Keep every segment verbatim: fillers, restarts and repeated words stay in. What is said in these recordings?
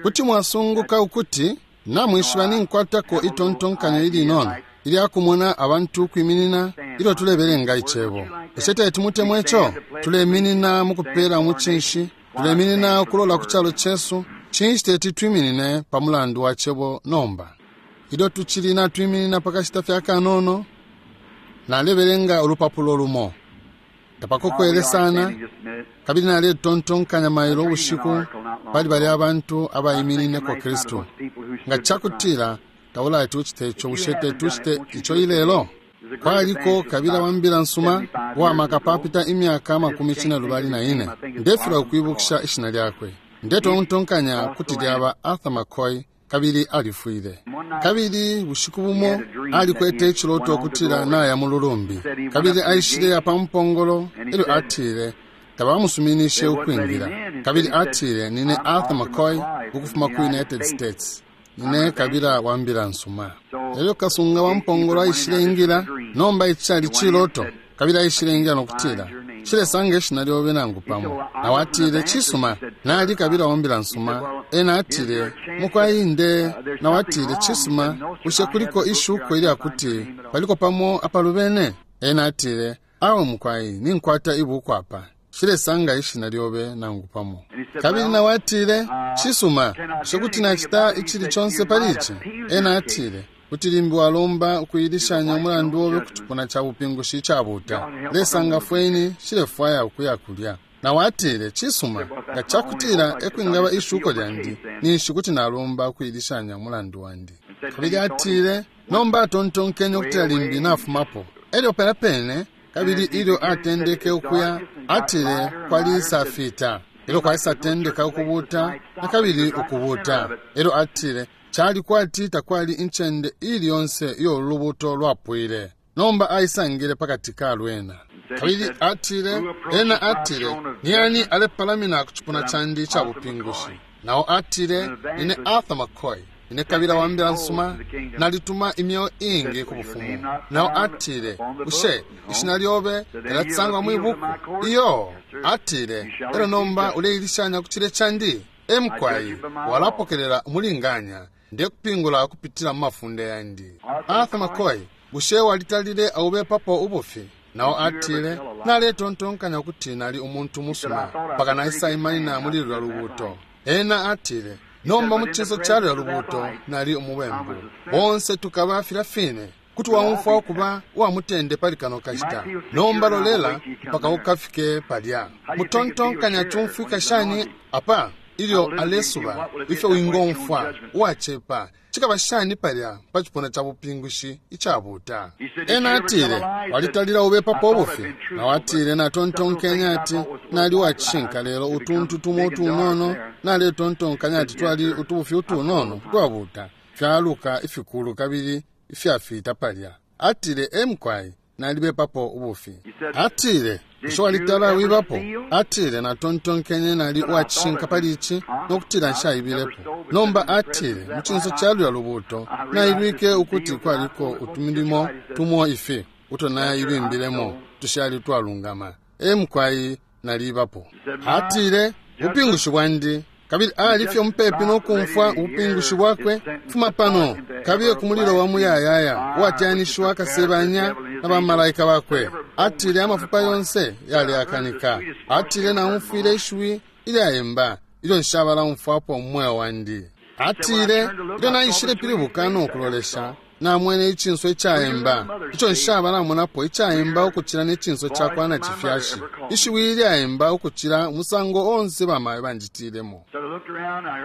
Kuti mwasunguka ukuti namwishiba ninkwatako itontonkanyo ilinono ilyakumona abantu ukwiminina ilyo tulebelenga icebo. Bushe teti mutemwe ico? Tuleminina mukupela umucinshi, tuleminina ukulola ku calo cesu. Cinshi teti twiminine pa mulandu wa cebo nomba? Ilyo tucili natwiminina pakashita fye akanono, nalebelenga ulupapulo lumo. Tapakokwele sana, kabili naletontonkanya mailo ubushiku pali balya abantu abaiminineko Kristu. Nga cakutila taulati ucite ico, bushe teti ucite ico ilelo? Kwaliko kabila wa mbila nsuma uwamaka papita imyaka amakumi cine lubali na ine. Ndefilwa ukwibukisha ishina lyakwe. Ndetontonkanya kuti lyaba Arthur McCoy, kabili alifwile. Kabili bushiku bumo alikwete iciloto ukutila naya mu lulumbi, kabili aishile pa mpongolo. Elyo atile tabamusuminishe ukwingila. Kabili atile, nine Arthur McCoy ukufuma ku United States, nine kabila wa mbila nsuma. Elyo kasunga wa mpongolo aishile ingila. Nomba ici cali ciloto. Kabili aishile ingila nokutila, nshilesanga ishina lyobe nangu pamo. Nawe atile, cisuma, nali kabila wa mbila nsuma. Ena atile, mukwai nde. Nawe atile, cisuma, bushe kuliko ishuko ilyakuti paliko pamo apalubene? Ena atile, awe mukwai, ninkwata ibuku apa, nshilesanga ishina lyobe nangu pamo. Kabili nawe atile, cisuma, bushe kuti nacita icili conse pali ici? Ena atile, kuti limbi walomba ukuilishanya umulandu obe ku cipuna ca bupingushi icabuta. Lesanga fweni, nshilefwaya ukuya kulya. Nawe atile, cisuma, nga cakutila ekwingaba ishuko lyandi, ninshi kuti nalomba ukuilishanya umulandu wandi. Kabili atile, nomba atontonkenye ukutila limbi nafumapo. Elyo pela pene, kabili ilyo atendeke ukuya, atile kwalisafita. Elyo kwaisatendeka ukubuta, na kabili ukubuta. Elyo atile, cali kwati takwali incende ili yonse iyo ulubuto lwapwile. Nomba aisangile pakati ka lwena. Kabili atile, ena atile, ni ani alepalamina ku cipuna candi ica bupingushi? Nao atile, nine Arthur McCoy, nine kabila wa mbila nsuma, nalituma imyeo ingi ku bufumu. Nao atile, bushe ishina lyobe lilatisangwa mwi buku? Iyo. Atile, elyo nomba uleilishanya ku cile candi? Emukwai, walapokelela umulinganya, ndekupingula kupitila mu mafunde yandi. Arthur McCoy, bushe walitalile aubepapo ubufi? Nao atile, naletontonkanya ukuti nali umuntu musuma, mpaka naisaimanina muli lulya lubuto. Ena atile, nomba mu cinso ca lulya lubuto nali umubembu. Bonse tukaba filya fine. Kuti waumfwa ukuba uwa mutende pali kano kashita. Nomba lolela mpaka ukafike palya. Mutontonkanya cumfwika shani apa ilyo alesuba ifyo wingomfwa uwacepa? Cikaba shani palya pa cipuna ca bupingushi icabuta? Ena atile, walitalila ubepapo ubufi? Nawe atile, natontonkenya ati nali wacishinka, lelo utuntu tumo utunono naletontonkanya ati twali utubufi utunono twabuta fyaluka ifikulu kabili ifyafita palya. Atile, emukwai, nalibepapo ubufi. Atile, bushe walitala wibapo? Atile, natontonkenye nali uwacishinka pali ici nokutila nshaibilepo. Nomba atile, mu cinso ca lulya lubuto nailwike ukuti kwaliko utumilimo tumo ifi uto naibimbilemo tushali twalungama. Emukwai, nalibapo. Atile, ubupingushi bwandi. Kabili alifye mupepi nokumfwa ubupingushi bwakwe. Fuma pano, kabiye ku mulilo wa muyayaya uwatyanishiwa akasebanya na bamalaika bakwe. Atile amafupa yonse yaleakanika. Atile naumfwile ishiwi ilyaemba ilyo nshabala umfwapo mu mweo wandi. Atile ilyo naishile pilibuka nokulolesha, namwene icinso icaemba ico nshabalamonapo, icaemba ukucila ne cinso cakwa nacifyashi, ishiwi ilyaemba ukucila umusango onse bamayo banjitilemo.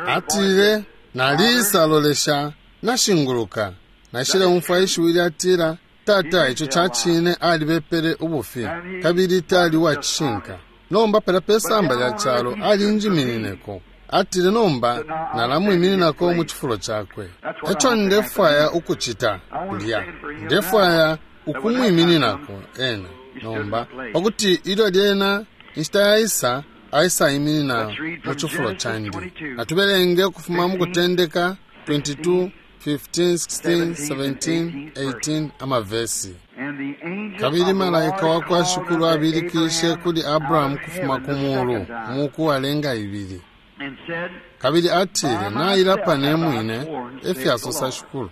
Atile naliisalolesha, nashinguluka, naishile umfwa ishiwi lyatila, tata, ico cacine alibepele ubufi kabili tali uwacishinka. Nomba pela pe samba lya calo alinjiminineko. Atile nomba nalamwimininako mu cifulo cakwe. Eco ndefwaya ukucita kulya, ndefwaya ukumwimininako ena nomba, pakuti ilyo lyena inshita yaisa aisaiminina mu cifulo candi. Natubelenge ukufuma mu Kutendeka twenty-two, fifteen, sixteen, seventeen, eighteen amavesi. Kabili malaika wa kwa Shukulu abilikishe kuli Abrahamu kufuma ku mulu umuku walenga ibili. Kabili atile, nailapa ne mwine, efyasosa Shukulu,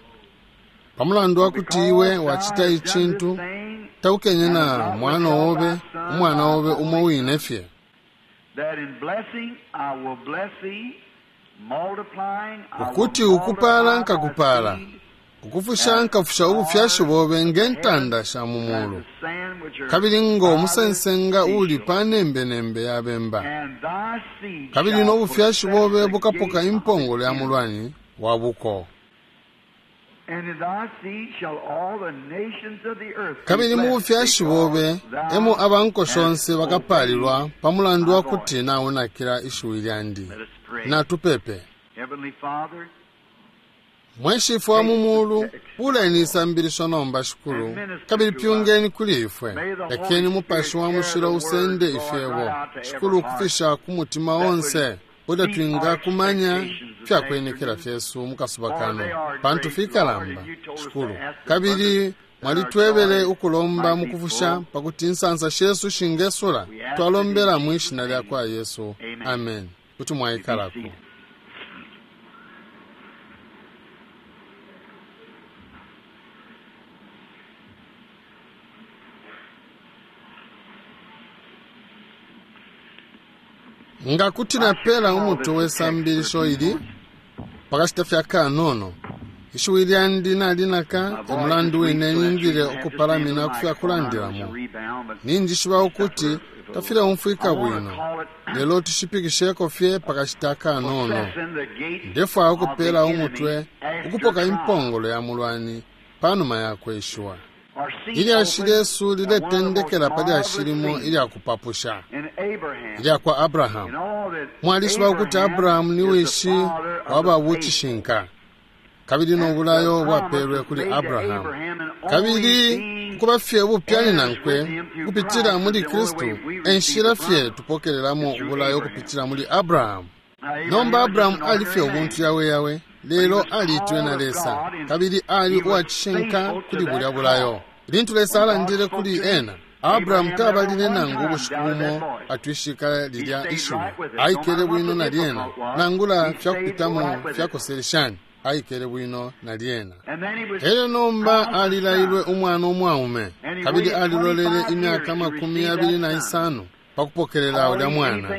pamulandu wakuti iwe wacita icintu taukenye na mwana obe, umwana obe umo wine fye, ukuti ukupala nkakupala, ukufusha nkafusha ubufyashi bobe nge ntanda sha mu mulu, kabili ngo musensenga uli pa nembenembe ya bemba, kabili no bufyashi bobe bukapoka impongolo ya mulwani wa buko. Kabili mu bufyashi bobe emo abanko shonse bakapalilwa pamulandu wa kuti naunakila ishiwi lyandi. Natupepe. Mwe Shifwe wa mu mulu, buleni isambilisho nomba Shikulu, kabili pyungeni kuli ifwe. Lekeni Mupashi wa Mushilo usende ifyebo, Shikulu, ukufisha ku mutima onse, kuti twingakumanya fyakwenekela fyesu mukasuba kano, pantu fikalamba, Shikulu. Kabili mwalitwebele ukulomba mukufusha pakuti insansa shesu shingesula. Twalombela mwi shina lya kwa Yesu, amen. Kuti mwaikalako. Nga kuti napela umutwe we sambilisho ili pakashita fya kanono, ishiwi lyandi nalinaka umulandu wine ningile ukupalamina kufyakulandilamo. Ninjishiba ukuti tafileumfwika bwino, lelo tushipikisheko fye pakashita kanono. Ndefwaya ukupela umutwe ukupoka impongolo ya mulwani panuma ya kweshiwa. Ilyashi lyesu liletendekela pa lyashi limo ilyakupapusha ilya kwa Abrahamu. Mwalishiba ukuti Abrahamu ni wishi wa babucishinka, kabili no bulayo bwapelwe kuli Abrahamu. Kabili kuba fye ubupyani nankwe kupitila muli Kristu, enshila fye tupokelelamo ubulayo kupitila muli Abrahamu. Nomba Abrahamu ali fye ubuntu yawe yawe, lelo aliitwe na Lesa, kabili ali uwacishinka kuli bulya bulayo. Lintu Lesa alandile kuli ena, Abrahamu tabalile nangu ubushiku bumo atwishika lilya ishiwi. Aikele bwino na lyena, nangula fyakupitamo fyakoseleshani, aikele bwino na lyena. Elyo nomba alilailwe umwana umwaume, kabili alilolele imyaka makumi yabili na isano pakupokelela ulya mwana.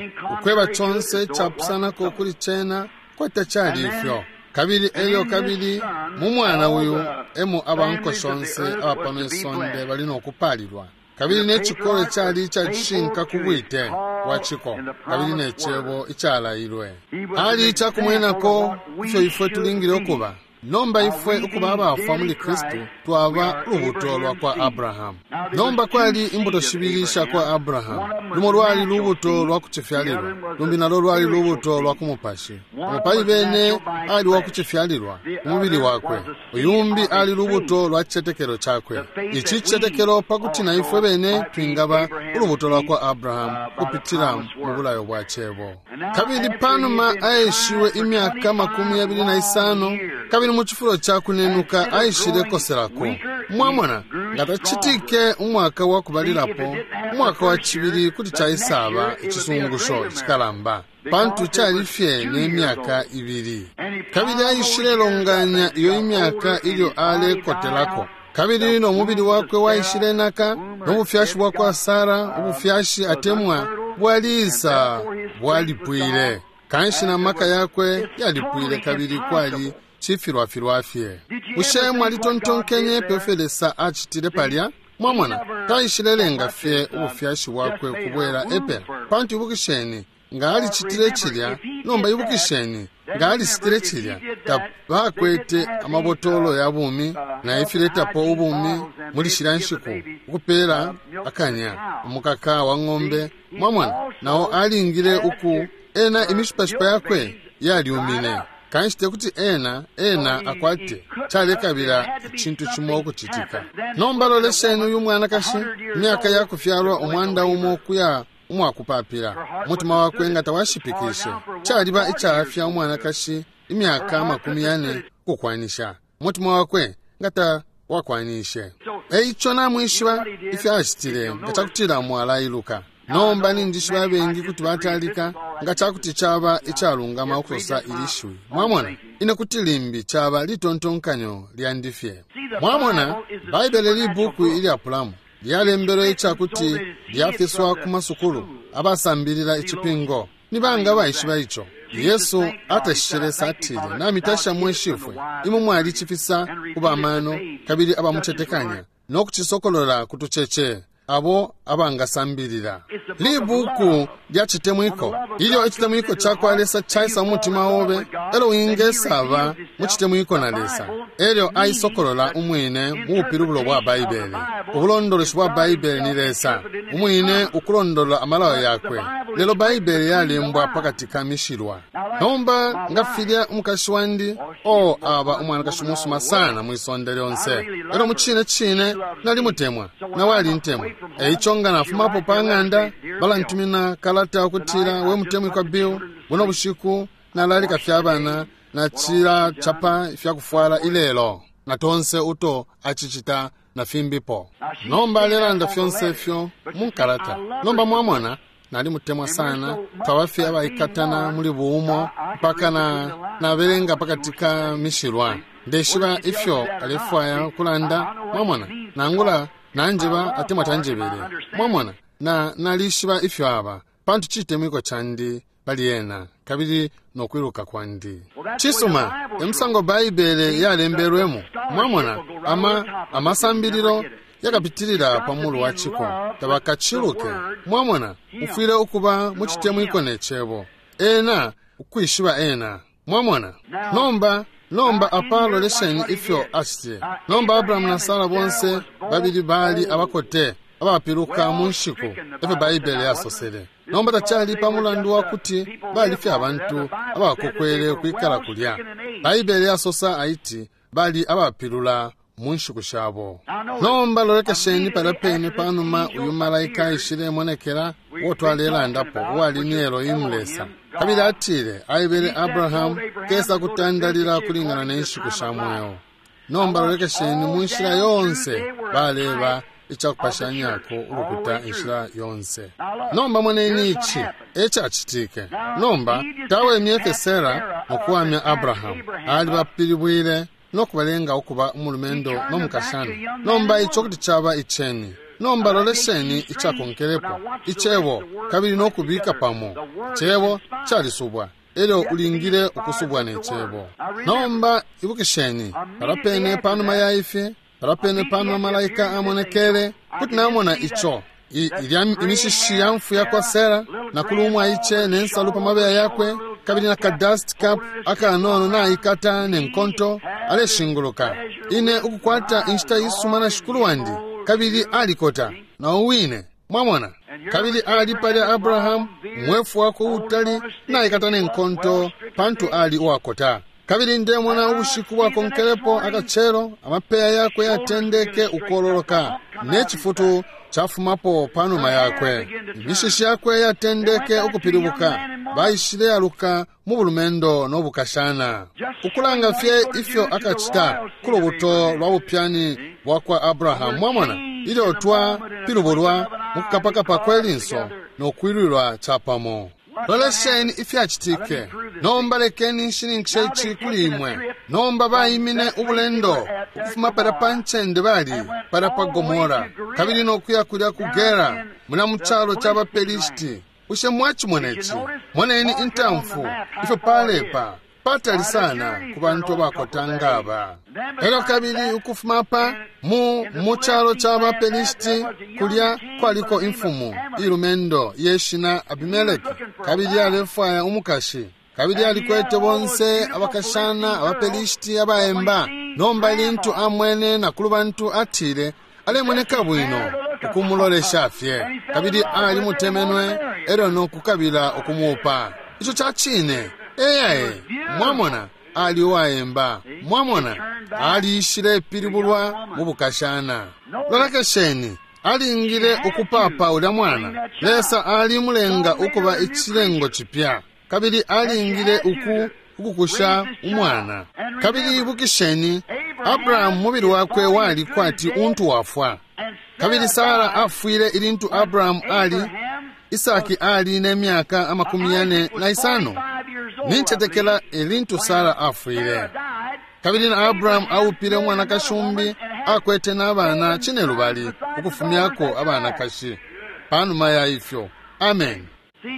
Ukweba chonse chapusanako kuli chena kwete chali ifyo. Kabili elyo kabili mu mwana uyu emo abanko shonse abapano isonde bali nokupalilwa. Kabili ne chikolo chali ichacishinka ku bwite bwa chiko, kabili ne chebo ichalailwe. Ali ichakumwenako ifyo ifwe tulingile ukuba. Nomba ifwe ukuba abafwa muli Kristu twaba ulubuto lwa kwa Abrahamu. Nomba kwali imbuto shibili sha kwa Abrahamu. Lumo lwali lubuto lwa kuchifyalilwa, lumbi nalo lwali lubuto lwa kumupashi. Umupali bene ali wa kuchifyalilwa umubili wakwe, uyumbi ali lubuto lwa chichetekelo chakwe. Ichi chichetekelo pakuti na ifwe bene twingaba ulubuto lwa kwa Abrahamu kupitila mu bulayo bwa chebo. Kabili panuma aeshiwe imyaka makumi yabili na isano, kabili mu chifulo cha kunenuka aishile koselako. Mwamona, nga tachitike umwaka wa kubalilapo, umwaka wa chibili kuti chaisaba ichisungusho chikalamba, pantu chali fye ne myaka ibili. Kabili aishile longanya iyo imyaka ilyo alekotelako. Kabili no mubili wakwe waishile naka, no bufyashi bwa kwa Sara, ubufyashi atemwa bwaliisa bwalipwile. Kanshi na maka yakwe yalipwile, kabili kwali chifilwafilwa fye. Bushe mwalitontonkenye pefyo Lesa achitile palya? Mwamona, taishilelenga fye ubufyashi bwakwe kubwela epela. Pantu ibukisheni, nga alicitile chilya, nomba ibukisheni, nga alicitile chilya, tabakwete amabotolo ya bumi na ifiletapo ubumi muli shila nshiku, ukupela akanya umukaka wa ng'ombe. Mwamona, nawo alingile uku ena imishipashipa yakwe yalyumine. Kanshi tekuti ena ena akwate chalekabila chintu chimo okuchitika. Nomba lolesheni uyu mwanakashi, imyaka yakufyalwa umwanda umo kuya umwakupapila, umutima wakwe nga tawashipikishe. Chaliba ichaafya umwanakashi imyaka makumi yane kukwanisha, umutima wakwe nga tawakwanishe. Eicho namwishiba ifyo achitile nga chakutila mwalailuka. Nomba ninjishiba abengi kuti batalika nga cakuti caba icalungama ukusosa ili shiwi. Mwamona, ine kuti limbi caba litontonkanyo lyandi fye. Mwamona, Baibele libuku ilyapulamo lyalembelwe icakuti lyafiswa ku masukulu abasambilila icipingo. Ni banga baishiba ico? Yesu atashishe Lesa atile, namitasha mwe Shifwe, imwe mwalicifisa ku bamano kabili abamucetekanya no kucisokolola ku tucece abo abangasambilila. Libuku lya citemwiko. Ilyo icitemwiko cakwa Lesa caisa mu mutima obe, elyo wingesaba mu citemwiko na Lesa, elyo aisokolola umwine mu bupilibulo bwa Baibele. Ubulondoloshi bwa Baibele ni Lesa umwine ukulondolola amalayo yakwe, lelo Baibele yalembwa pakati ka mishilwa. Nomba nga filya umukashi wandi, o aba umwanakashi musuma sana mwisonde lyonse, elyo mu cine cine nalimutemwa na walintemwa. Eico nga nafumapo pa ng'anda, balantumina kalata ukutila, we mutemwikwa Bill, buno bushiku nalalika fya bana na cila chapa ifyakufwala ilelo, na tonse uto acicita na fimbipo. Nomba alelanda fyonse ifyo munkalata. Nomba mwamona, nalimutemwa sana, twaba fye abaikatana muli buumo mpaka na nabelenga pakati ka mishilwa. Ndeshiba ifyo alefwaya ukulanda, mwamona, nangula nanjeba atemwa tanjebele. Mwamona, na nalishiba ifyo aba, pantu citemwiko candi pali ena kabili nokwiluka kwandi. Cisuma, emusango Baibele yalembelwemo. Mwamona, ama amasambililo yakapitilila pa mulu wa ciko, tabakaciluke. Mwamona, ufwile ukuba mu citemwiko ne cebo, ena ukwishiba ena. Mwamona, nomba nomba apa lolesheni ifyo acitile. Nomba Abrahamu na Sara bonse babili bali abakote abapiluka mu nshiku, efyo Baibele yasosele. Nomba tacali pa mulandu wa kuti bali fye abantu abakokwele ukwikala kulya. Baibele yasosa aiti bali abapilula mu nshiku shabo. Nomba lolekesheni palya pene panuma uyu malaika aishilemonekela uo twalelandapo, uwali ni Elohimu Lesa. Kabili atile aebele Abrahamu kesa kutandalila kulingana ne nshiku sha mweo. Nomba lolekesheni mu nshila yonse baleba icakupashanyako ulukuta inshila yonse. Nomba moneni ici ecacitike. Nomba tawemye fye Sara nokuwamya Abrahamu, alibapilibwile nokubalenga ukuba umulumendo no mukashana. Nomba ico kuti caba iceni. Nomba lolesheni icakonkelepo icebo kabili nokubika pamo. Cebo calisubwa, elyo ulingile ukusubwa ne cebo. Nomba ibukisheni, palya pene panuma ya ifi, palya pene panuma malaika amonekele, kuti namona ico ilya imishishi ya mfu yakwa Sara na kulumwa ice ne nsalu pa mabeya yakwe kabili na ka dust cap akanono naikata ne nkonto aleshinguluka. Ine ukukwata inshita isuma na shikulu wandi, kabili alikota na uwine. Mwamona, kabili ali palya Abrahamu mwefu wako utali naikata ne nkonto pantu ali uwakota. Kabili ndemona ubushiku bwakonkelepo akachelo amapeya yakwe yatendeke ukololoka ne cifutu cafumapo panuma yakwe. Imishishi yakwe yatendeke ukupilibuka, baishile yaluka mu bulumendo no bukashana. Ukulanga fye ifyo akacita ku lubuto lwa bupyani bwa kwa Abrahamu. Mwamona, ilyo twapilubulwa mu kukapakapa kwe linso no kwilwilwa capamo. Lolesheni ifyacitike. Nomba lekeni nshininkishe ici kuli imwe. Nomba baimine ubulendo ukufuma palya pa ncende bali palya pa Gomora kabili nokuya kulya ku Gera muna mu calo ca baPelishiti. Bushe mwacimona ici? Moneni intamfu ifyo palepa patali sana ku bantu abakota ngaba. Elyo kabili ukufuma pa mu mu calo ca baPelishiti kulya kwaliko imfumu ilumendo yeshina Abimeleki, kabili alefwaya umukashi, kabili alikwete bonse abakashana abaPelishiti abaemba. Nomba ilintu amwene na kulu bantu atile alemoneka bwino ukumulolesha fye, kabili alimutemenwe elyo nokukabila ukumuupa. Ico ca cine. Eyae, mwamona ali uwaemba. Mwamona aliishile ipilibulwa mu bukashana. Lolekesheni, alingile ukupapa ulya mwana. Lesa alimulenga ukuba icilengo cipya, kabili alingile uku ukukusha umwana. Kabili ibukisheni, Abrahamu mubili wakwe wali kwati untu wafwa, kabili Sara afwile ilintu Abrahamu ali Isaki ali ne myaka amakumi yane na isano. Nincetekela elintu Sara afwile. Kabili na Abrahamu aupile umwanakashi umbi, akwete n'abana cinelubali ukufumyako abanakashi panuma ya ifyo. Amen.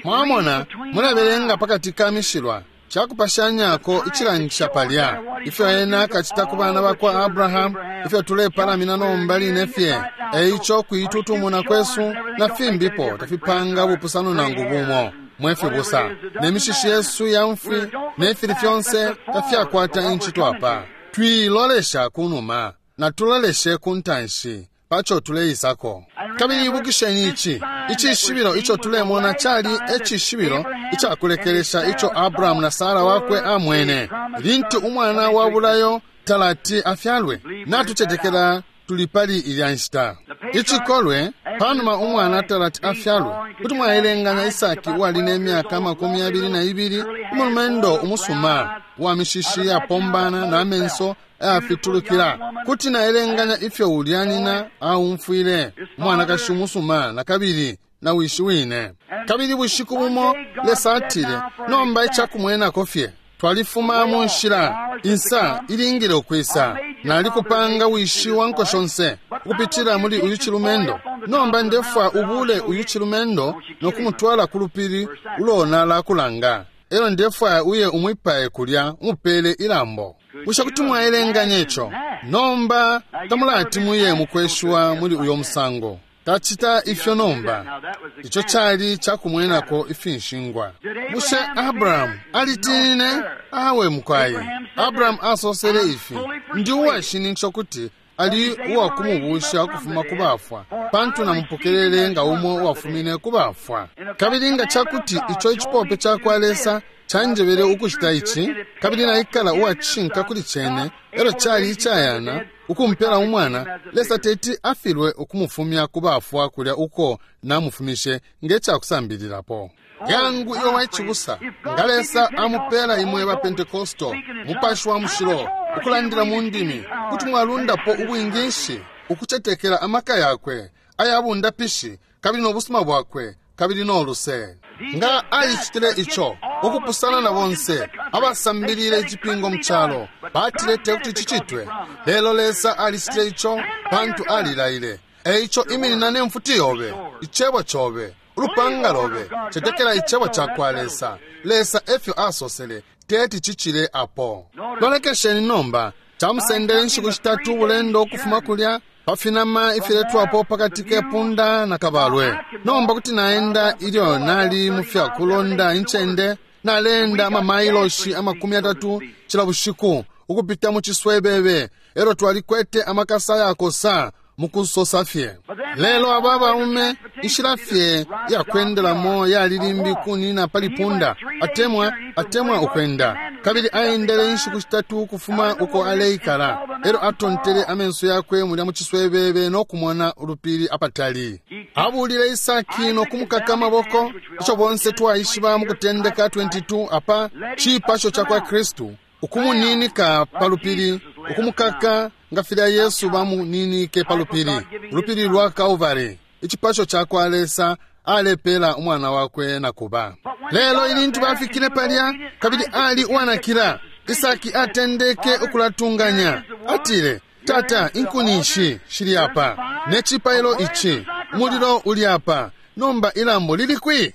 Mwamona, mulabelenga pakati ka mishilwa cakupashanyako icilangisha palya ifyo ena akacita ku bana bakwa Abrahamu, ifyo tulepalamina nomba line fye. Eico kuitutumuna kwesu na fimbipo tafipanga bupusano nangu bumo mwefibusa, ne mishishi yesu ya mfwi ne fili fyonse tafyakwata incito apa. Twilolesha kunuma na tuloleshe ku ntanshi paco tuleisako. Kabili ibukisheni ici icishibilo ico tulemona cali ecishibilo icakulekelesha ico Abrahamu na Sara wakwe amwene lintu umwana wa bulayo talati afyalwe. Natucetekela tuli pali ilya nshita. Icikolwe panuma umwana talati afyalwe, kuti mwaelenganya Isaki uwali ne myaka amakumi abili na ibili, umulumendo umusuma wa mishishi yapombana na amenso ayafitulukila. Kuti naelenganya ifyo ulya nyina aumfwile, umwanakashi umusuma na kabili na wishi wine. Kabili bushiku bumo Lesa atile, nomba icakumwenako fye twalifuma mu nshila, insa ilingile ukwisa. Nalikupanga wishi wa nko shonse ukupitila muli uyu cilumendo. Nomba ndefwa ubule uyu cilumendo nokumutwala ku lupili ulona lakulanga. Elo ndefwaya uye umwipaye kulya umupele ilambo. Bushe kuti mwaelenganya ico? Nomba tamulati muye mukweshiwa muli uyo musango. Tacita ifyo nomba. Ico cali cakumwenako ifinshingwa. Bushe Abrahamu alitinine? Awe mukwayi. Abrahamu asosele ifi, ndi uwashininkisha kuti ali uwakumubusha ukufuma ku bafwa, pantu namupokelele nga umo uwafumine ku bafwa. Kabili nga cakuti ico icipope cakwa Lesa canjebele ukucita ici, kabili naikala uwacishinka kuli cene, elo cali icayana ukumpela umwana, Lesa teti afilwe ukumufumya ku bafwa kulya uko namufumishe nge cakusambililapo. Yangu iwe waicibusa, nga Lesa amupela imwe ba Pentekosto mupashi wa mushilo ukulandila mu ndimi, kuti mwalundapo ubwinginshi ukucetekela amaka yakwe ayabundapishi kabili no busuma bwakwe kabili no luse. Nga alicitile ico ukupusana na bonse abasambilile icipingo mu calo, batile tekuti cicitwe, lelo Lesa alicitile ico pantu alilaile. Eico iminina ne mfuti yobe, icebo cobe, ulupanga lobe, cetekela icebo cakwa Lesa. Lesa efyo asosele, teti cicile apo. Lolekesheni nomba, camusendele inshiku shitatu ubulendo ukufuma kulya pa finama ifiletwapo pakati ke punda na kabalwe. Nomba kuti naenda ilyo nali mu fyakulonda incende, naleenda amamailoshi amakumi atatu cila bushiku ukupita mu ciswebebe, elo twalikwete amakasa yakosa mukusosa fye. Lelo aba baume inshila fye yakwendelamo yali limbi kunina pali punda atemwa atemwa ukwenda. Kabili aendele inshiku shitatu ukufuma uko aleikala, elo atontele amenso yakwe mulya mu ciswebebe no kumona ulupili apatali. Abulile Isaki no kumukaka amaboko, ico bonse twaishiba mu Kutendeka makumi yabili na ibili apa cipasho cakwa Kristu, ukumuninika pa lupili, ukumukaka nga filya Yesu bamuninike pa lupili, ulupili lwa Kalvari, icipasho cakwa Lesa alepela umwana wakwe na kuba. Lelo ilintu bafikile palya, kabili ali uwanakila, Isaki atendeke ukulatunganya. Atile, tata, inkuni ishi shili apa, ne cipailo ici, umulilo uli apa, nomba ilambo lili kwi?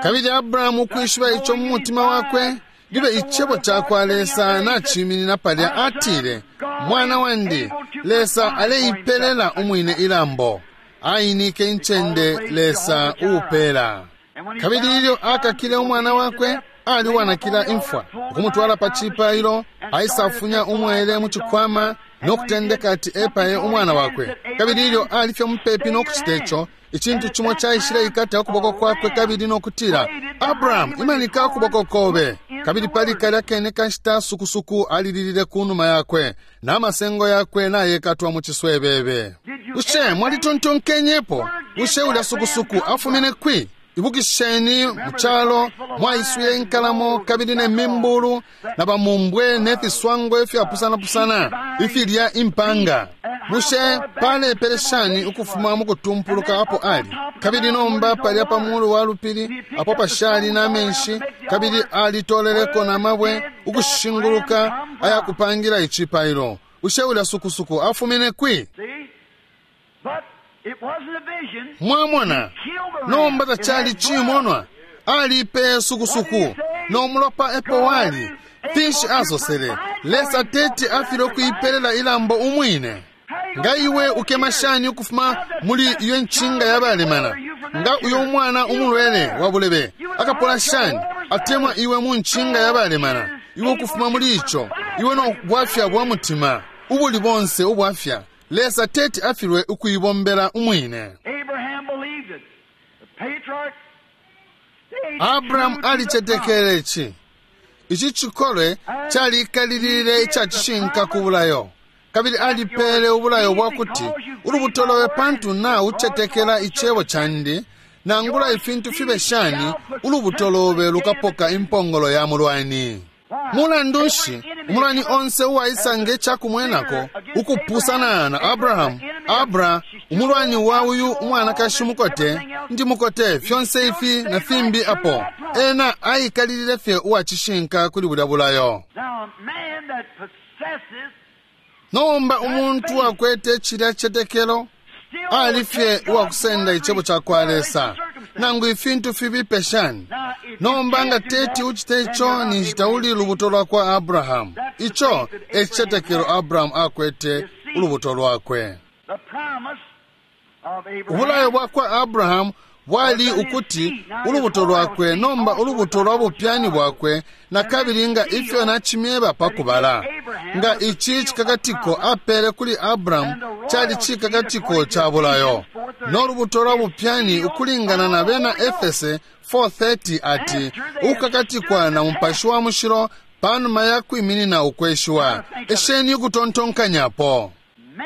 Kabili Abrahamu ukwishiba ico mu mutima wakwe, libe icebo cakwa Lesa naciminina palya, atile, mwana wandi, Lesa aleipelela umwine ilambo. Ainike incende Lesa uupela. Kabili ilyo akakile umwana wakwe, ali uwanakila imfwa, ukumutwala pa cipailo, aisafunya umwele mu cikwama no kutendeka ati epaye umwana wakwe. Kabili ilyo ali fye mupepi no kucita ico, icintu cimo caishile ikata ukuboko kwakwe kabili no kutila, Abrahamu, imanika ukuboko kobe. Kabili pali kalya kene kashita sukusuku alililile ku numa yakwe, na masengo yakwe nayekatwa mu ciswebebe. Bushe mwalitontonkenyepo? Bushe ulya sukusuku afumine kwi? Ibukisheni mu calo mwaiswile inkalamo kabili ne mimbulu na bamumbwe ne fiswango ifyapusanapusana ifilya impanga. Bushe palepele shani ukufuma mukutumpuluka apo ali? Kabili nomba palya pa mulu wa lupili apo pashali na menshi, kabili alitoleleko na mabwe ukushinguluka ayakupangira icipailo. Bushe ulya sukusuku afumine kwi? Mwamona, nomba tacali cimonwa, alipeye sukusuku no mulopa epo wali. Finshi asosele? Lesa teti afile ukuipelela ilambo umwine. Nga iwe ukema shani ukufuma muli iyo nchinga yabalemana? Nga uyo umwana umulwele wa bulebe akapola shani atemwa iwe mu nchinga yabalemana? Iwe ukufuma muli ico, iwe no bwafya bwa mutima ubuli bonse ubwafya. Lesa teti afilwe ukuibombela umwine. Abrahamu alicetekele ici. Ici cikolwe calikalilile icacishinka ku bulayo, kabili alipele ubulayo bwakuti ulubuto lobe pantu na ucetekela icebo candi, nangula ifintu fibe shani, ulubuto lobe lukapoka impongolo ya mulwani. Mulandu nshi umulwani onse uwaisanga icakumwenako ukupusana na Abrahamu? Abra umulwani wa uyu umwanakashi mukote ndi mukote fyonse ifi na fimbi apo ena aikalilile fye uwacishinka kuli bulya bulayo. Nomba umuntu akwete cilya cetekelo ali fye uwakusenda icebo ca kwa Lesa nangu ifintu fibipe shani. Nomba nga teti uchite ico ninshi tauli lubuto lwa kwa Abrahamu. Ico e cicetekelo Abrahamu akwete ulubuto lwakwe. Ubulayo bwa kwa Abrahamu bwali ukuti ulubuto lwakwe, nomba ulubuto lwa bupyani bwakwe, na kabili nga ifyo nacimyeba pakubala. Nga ici cikakatiko apele kuli Abrahamu cali cikakatiko ca bulayo, no lubuto lwa bupyani ukulingana na bena Efese four thirty ati ukukakatikwa na Mupashi wa Mushilo panuma ya kwiminina ukweshiwa. Esheni ukutontonkanyapo.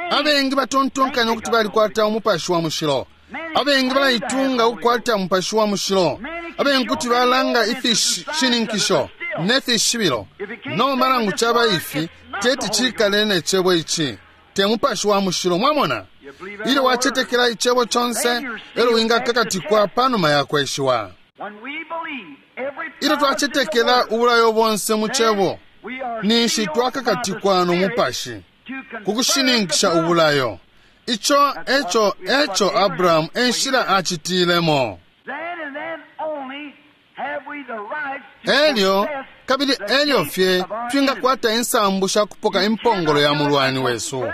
Abengi batontonkanya ukuti balikwata Umupashi wa Mushilo. Abengi balaitunga ukukwata Mupashi wa Mushilo. Abengi kuti balanga ifishininkisho ne fishibilo. Nomba nangu caba ifi, teti cikale ne cebo ici. Te Mupashi wa Mushilo, mwamona? Ilyo wacetekela icebo conse, elo wingakakatikwa panuma ya kweshiwa. Ilyo twacetekela ubulayo bonse mu cebo, ninshi twakakatikwa no Mupashi kukushininkisha ubulayo. Ico eco eco Abrahamu enshila acitilemo. Elyo kabili elyo fye twingakwata insambu sha kupoka impongolo ya mulwani wesu.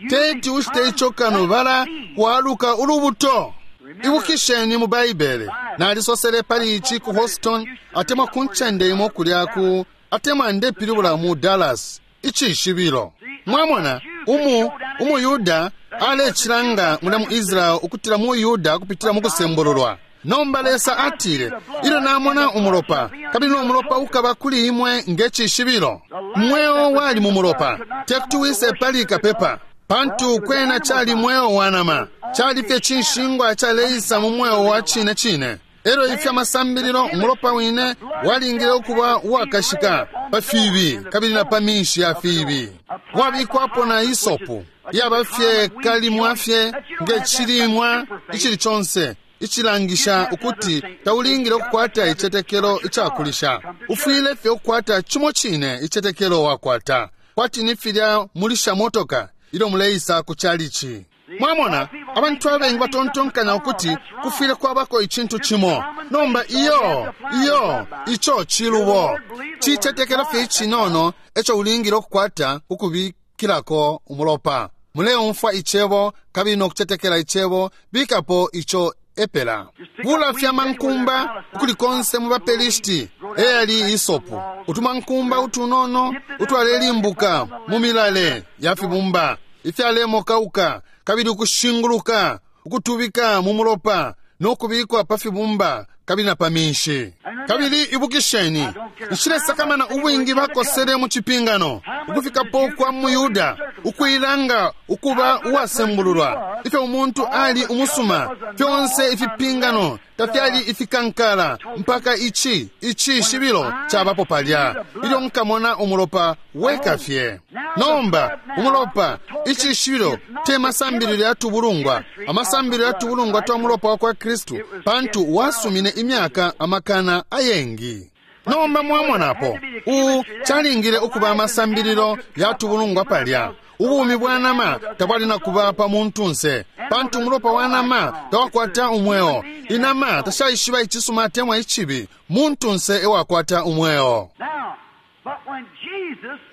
Teti ushite ico kano bala waluka ulubuto. Ibukisheni mu Baibele, nalisosele pali ici ku Houston, atemwa ku ncende imo kulya ku atemwa ndepilibula mu Dallas, icishibilo. Mwamona, umu umuyuda alecilanga mula mu Israel ukutila mu Yuda kupitila mu kusembululwa. Nomba Lesa atile, ilyo namona umulopa, kabili no mulopa ukaba kuli imwe nge cishibilo. Mweo wali mu mulopa, tekuti wise pali kapepa, pantu kwena cali mweo wa nama, cali fye cinshingwa caleisa mu mweo wa cine cine. Elo ifya masambililo umulopa wine walingile ukuba uwakashika pa fibi kabili na pa minshi ya fibi. Wabikwapo na isopu yaba fye kalimwa fye nge cilimwa icili conse icilangisha ukuti taulingile ukukwata icetekelo icakulisha. Ufwile fye ukukwata cimo cine icetekelo wakwata, kwati ni filya mulisha motoka ilyo muleisa ku calici. Mwamona, abantu abengi batontonkanya ukuti kufwile kwabako icintu cimo. Nomba iyo, iyo, ico cilubo. Cicetekelo fye icinono eco ulingile ukukwata ukubikilako umulopa. Muleumfwa icebo kabili no kucetekela icebo, bikapo ico epela. Bula fya mankumba ukuli konse mu baPelishiti eyali isopu. Utumankumba utunono utwalelimbuka mu milale ya fibumba ifyalemokauka kabili ukushinguluka ukutubika mu mulopa no kubikwa pa fibumba kabili na pa minshi. Kabili ibukisheni, nshilesakamana ubwingi bakosele mu cipingano ukufikapo kwa muyuda ukuilanga ukuba uwasembululwa, ifyo umuntu ali umusuma, fyonse ifipingano tafyali ifikankala mpaka ici icishibilo cabapo palya ilyo nkamona umulopa weka fye. Nomba umulopa icishibilo te masambililo ya tubulungwa, amasambililo ya tubulungwa twa mulopa wa kwa Kristu, pantu wasumine imyaka amakana ayengi. Nomba mwamonapo u calingile ukuba amasambililo ya tubulungwa palya. Ubumi bwa nama tabwali na kuba pa muntunse, pantu umulopa wa nama tawakwata umweo. Inama tashaishiba icisuma atemwa icibi, muntunse ewakwata umweo.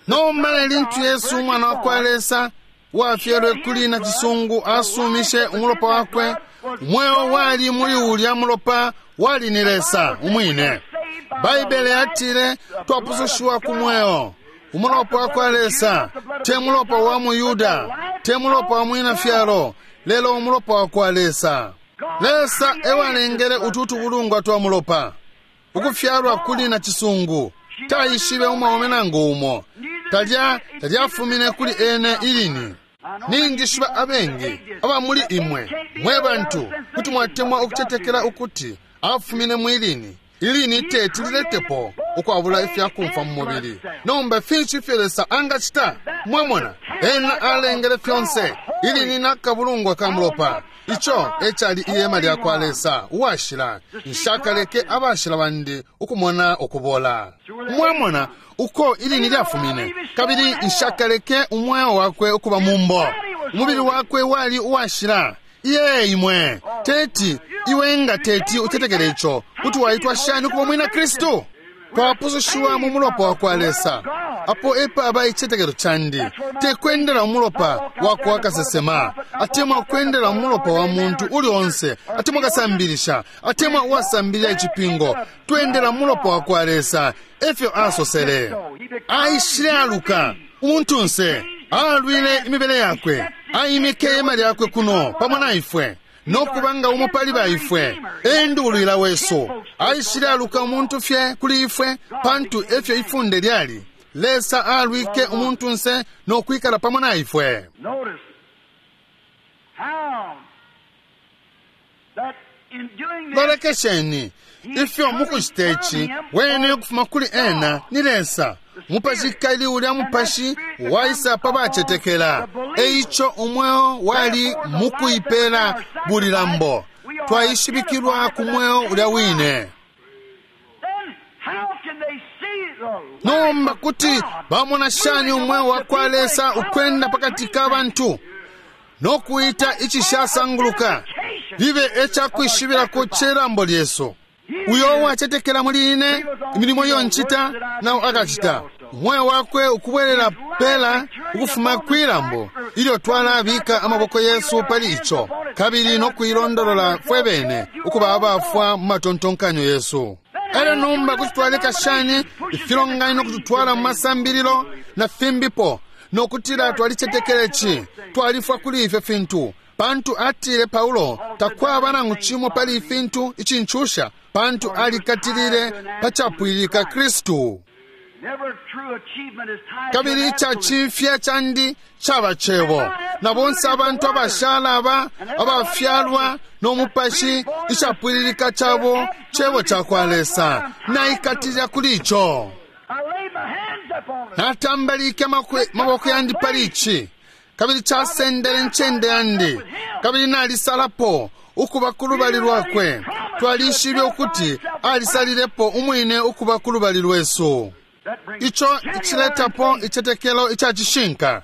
Nomba lintu Yesu umwana wa kwa Lesa wafyelwe kuli na cisungu asumishe umulopa wakwe, umweo wali muli ulya mulopa wali ni Lesa umwine. Baibele yatile twapusushiwa ku mweo. Umulopa wa kwa Lesa te mulopa wa muyuda, te mulopa wa mwina fyalo, lelo umulopa wa kwa Lesa. Lesa ewalengele utu tubulungwa twa mulopa ukufyalwa kuli na cisungu. Taishibe umwaume nangu umo, talya talyafumine kuli ene ilini. Ninjishiba abengi aba muli imwe mwe bantu kuti mwatemwa ukucetekela ukuti afumine mwilini. Ilini teti liletepo ukwabula ifyakumfa mu mubili. Nomba finshi ifyo Lesa angacita? Mwamona, ena alengele fyonse ilini nakabulungwa ka mulopa. Ico ecali ihema lya kwa Lesa uwashila. Nshakaleke abashila bandi ukumona ukubola. Mwamona uko ilini lyafumine, kabili nshakaleke umweo wakwe ukuba mumbo. Umubili wakwe wali uwashila. Iye imwe teti iwe nga teti utetekele ico kuti waitwa shani ukuba mwina Kristu? Twapusushiwa mu mulopa wa kwa Lesa. Apo epaba icetekelo candi, te kwendela umulopa wa kwa kasesema, atemwa kwendela umulopa wa muntu uli onse, atemwa kasambilisha, atemwa uwasambilila icipingo. Twendela umulopa wa kwa Lesa, efyo asosele. Aishile aluka umuntunse, alwile imibele yakwe, aimike ihema lyakwe kuno pamo na ifwe nokubanga umo pali baifwe, endulwila wesu. Aishile aluka umuntu fye kuli ifwe, pantu efyo ifunde lyali. Lesa alwike umuntunse nokwikala pamo na ifwe. Lolekesheni ifyo mukucita ici wene ukufuma kuli ena ni Lesa. Mupashi kali ulya mupashi waisa pa bacetekela. Eico umweo wali mukuipela bulilambo. Twaishibikilwa ku mweo ulya wine. Nomba kuti bamona shani umweo wa kwa Lesa ukwenda pakati ka bantu nokuita icishasanguluka libe ecakwishibirako celambo lyesu? Uyo uwacetekela muli ine, imilimo iyo ncita nawo akacita. Umweo wakwe ukubwelela pela ukufuma kwilambo ilyo twalabika amaboko yesu pali ico, kabili nokuilondolola fwe bene ukuba abafwa mu matontonkanyo yesu. Elyo nomba kuti twaleka shani ifilonganino kututwala mu masambililo na fimbipo nokutila twalicetekele ci, twalifwa kuli ifyo fintu? Pantu atile Paulo, takwaba nangu cimo pali ifintu icincusha, pantu alikatilile pacapwilika Kristu. Kabili icacimfya candi caba cebo, na bonse abantu abashala aba abafyalwa no mupashi, icapwililika cabo cebo ca kwa Lesa. Naikatilila kuli ico. Natambalike maboko yandi pali ici, kabili casendele ncende yandi, kabili nalisalapo ukuba ku lubali lwakwe. Twalishibe ukuti alisalilepo umwine ukuba ku lubali lwesu. Ico iciletapo icetekelo ica cishinka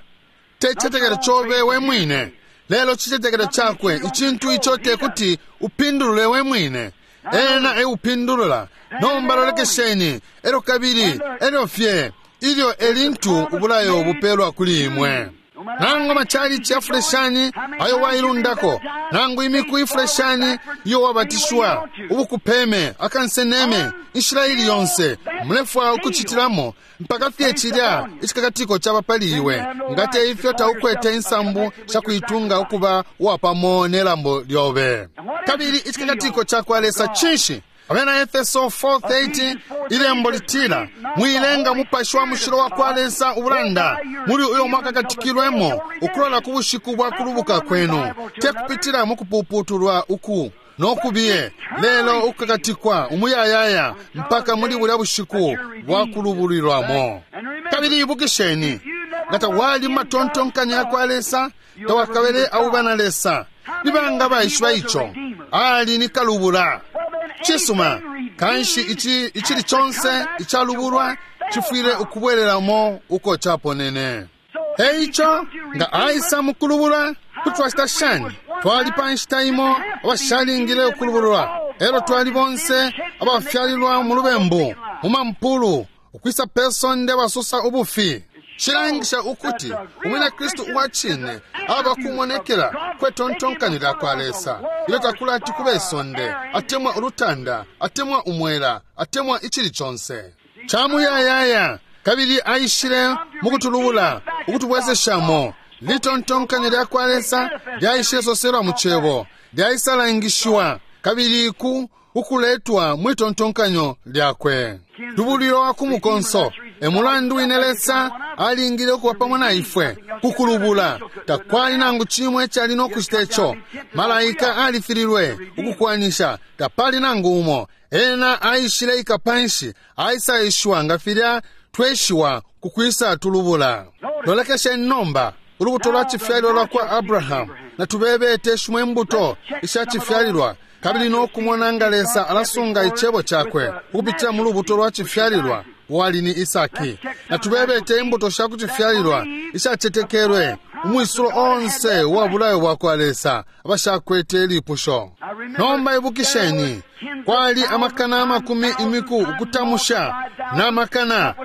te cicetekelo cobe we mwine, lelo cicetekelo cakwe, icintu ico te kuti upindulule we mwine. Ena eupindulula. Nomba lolekesheni, elyo kabili elyo fye ilyo elintu ubulayo bupelwa kuli imwe. Nangu amachalichi afuleshani ayo wailundako, nangu imiku ifuleshani iyo wabatishwa, ubukupeme akanseneme, inshila ili yonse mulefwa ukucitilamo, mpaka fye cilya icikakatiko caba pali iwe. Nga te ifyo taukwete insambu shakuitunga ukuba uwapamo nelambo lyobe. Kabili icikakatiko ca kwa Lesa cinshi? Abena Efeso four thirty ilembo litila, mwilenga mupashi wa mushilo wa kwa Lesa ubulanda muli uyo mwakakatikilwemo ukulola ku bushiku bwa kulubuka kwenu, te kupitila mu kupuputulwa uku nokubiye, lelo ukukakatikwa umuyayaya mpaka muli bulya bushiku bwa kulubulilwamo. Kabili ibukisheni, Nga tawali mu matontonkanyo yakwa Lesa, tawakabele auba na Lesa. Nibanga baishiba ico? Ali ni kalubula. Cisuma, kanshi ici icili conse icalubulwa cifwile ukubwereramo uko caponene. Eico nga aisa mukulubula, kuti twacita shani? Twali pa nshita imo abashalingile ukulubulwa, elo twali bonse abafyalilwa mu lubembu, mu mampulu, ukwisa pe sonde basosa ubufi. Cilangisha ukuti umwina Kristu uwa cine aba kumonekela kwe tontonkanyo lya kwa Lesa. Ilyo takulati kube isonde, atemwa ulutanda, atemwa umwela, atemwa icili conse camuyayaya, kabili aishile mukutulubula, ukutubwezeshamo. Litontonkanyo lya kwa Lesa lyaishile soselwa mu cebo, lyaisalangishiwa kabili ku ukuletwa mwitontonkanyo lyakwe. Lubulilo wa ku mukonso e mulandu wine Lesa alingile ukuba pamo na ifwe kukulubula. Takwali nangu cimwe icali no kucita ico. Malaika alifililwe ukukwanisha, tapali nangu umo. Ena aishile ika panshi, aisaishiwa nga filya tweshiwa kukwisa tulubula. Lolekesheni nomba ulubuto lwa cifyalilwa lwa kwa Abrahamu. Natubebete shimwe imbuto isha cifyalilwa, kabili no kumona nga Lesa alasunga icebo cakwe ukupitila mu lubuto lwa cifyalilwa wali ni Isaki. Natubebete imbuto sha kucifyalilwa ishacetekelwe umwisulo onse uwa bulayo bwa kwa Lesa abashakwete ilipusho. Nomba ibukisheni, kwali amakana amakumi imiku ukutamusha na makana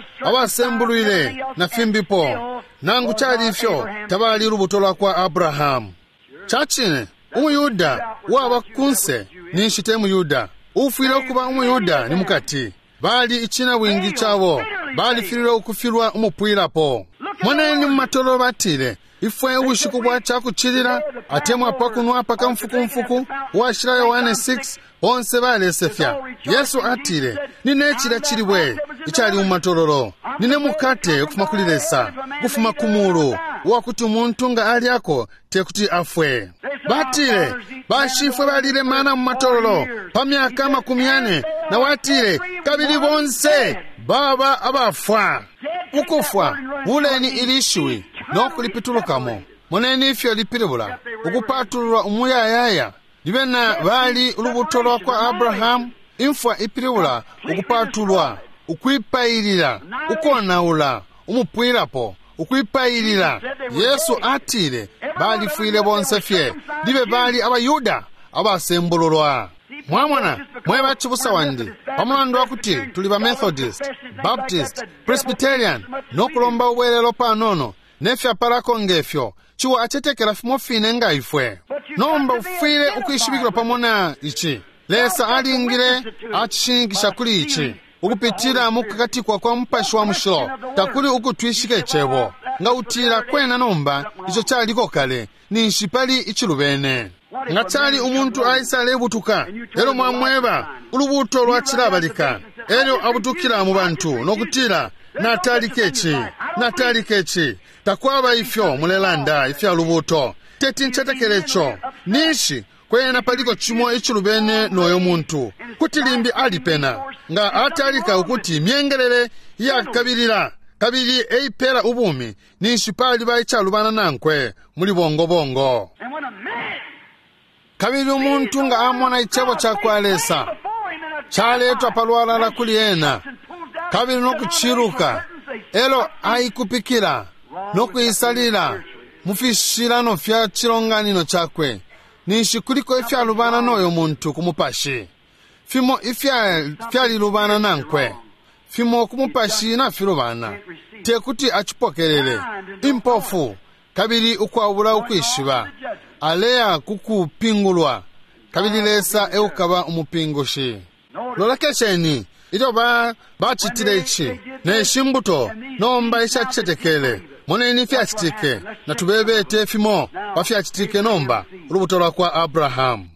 abasembulwile na fimbipo. Nangu cali ifyo, tabali lubuto lwa kwa Abrahamu. Cacine, umuyuda uwaba kunse ninshi te muyuda, ufwile ukuba umuyuda ni mukati. Bali icina bwingi cabo, balifililwe ukufilwa umupwilapo. Moneni mu matololo batile, ifwe ubushiku bwa cakucilila atemwa pakunwa pakamfukumfuku uwashila Yohane six, bonse balesefya. Yesu atile, nine cilya cilibwe icali mu matololo, nine mukate ukufuma kuli Lesa, ukufuma ku mulu, uwakuti umuntu nga alyako tekuti afwe. Batile, bashifwe balile mana mu matololo pa myaka makumi yane, na watile, kabili bonse baba abafwa. Ukufwa, buleni ilishiwi no kulipitulukamo. Moneni ifyo lipilibula ukupatululwa umuyayaya. Libe na bali ulubuto lwa kwa Abrahamu. Imfwa ipilibula ukupatulwa, ukwipailila, ukonaula, umupwilapo, ukwipailila. Yesu atile balifwile bonse fye, libe bali abayuda abasembululwa. Mwamona, mwe bacibusa wandi, pamulandu wa kuti tuli ba Methodist, Baptist, Presbyterian, no kulomba ubwelelo panono nefyapalako ngefyo, ciwa acetekela fimo fine nga ifwe. Nomba ufwile ukwishibikilwa pamo na ici. Lesa alingile acishininkisha kuli ici ukupitila mu kukakatikwa kwa Mupashi wa Mushilo. Takuli ukutwishika icebo. Nga utila kwena nomba ico caliko kale, ninshi pali icilubene. Nga cali umuntu aisa alebutuka, elo mwamweba ulubuto lwacilabalika, elyo abutukila mu bantu nokutila, natalike ci, natalike ci. Takwaba ifyo mulelanda ifya lubuto, teti ncetekele ico. Ninshi kwena paliko cimo icilubene noyo muntu, kuti limbi alipena. Nga atalika ukuti myengelele iyakabilila kabili eipela ubumi, ninshi paliba icalubana nankwe muli bongobongo. Kabili umuntu nga amona icebo ca kwa Lesa caletwa palwalala kuli ena, kabili nokuciluka, elo aikupikila nokuisalila mu fishilano fya cilonganino cakwe, ninshi kuliko ifyalubana noyo muntu ku mupashi. Fimo ifyalilubana nankwe, fimo ku mupashi nafilubana, tekuti acipokelele. Impofu kabili ukwabula ukwishiba, aleya kukupingulwa, kabili Lesa eukaba umupingushi. Lolekesheni ilyo ba bacitile ici neshi mbuto nomba ishacicetekele. Moneni ifyacitike, natubebete fimo pa fyacitike nomba ulubuto lwa kwa Abrahamu.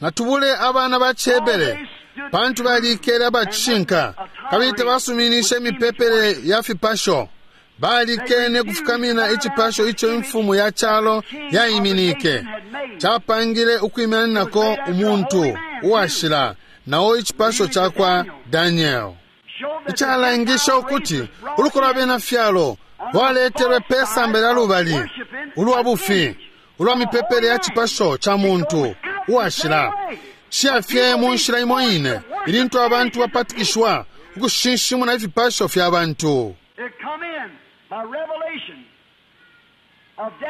Natubule abana ba Cihebere, pantu balikele abacishinka kabili tabasuminishe imipepele ya fipasho. Balikene kufukamina icipasho ico imfumu ya calo yaiminike, capangile ukwimininako umuntu uwashila, nao icipasho ca kwa Daniel. Icalangisha ukuti uluko lwa bena fyalo lwaletelwe pe samba lya lubali ulwa bufi ulwa mipepele ya cipasho ca muntu uwashila ciyafye mu nshila imo ine ilintu abantu bapatikishwa ukushinshimuna ifipasho fya bantu.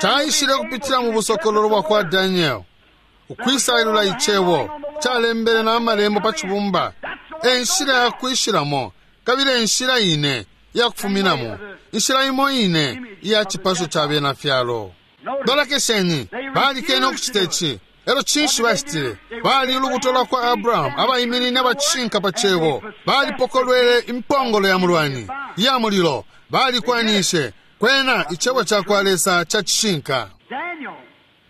Caishile kupitila mu busokololo bwa kwa Daniel ukwisailula icebo calembele na amalembo pa cibumba e nshila ya kwishilamo kabili enshila ine iyakufuminamo inshila imo ine iya cipasho ca bena fyalo. Lolekesheni, balikene ukucita ici. Elo cinshi bacitile? Bali ulubuto lwa kwa Abrahamu abaiminine abacishinka pa cebo. Balipokolwele impongolo ya mulwani iya mulilo, balikwanishe kwena icebo ca kwa Lesa ca cishinka.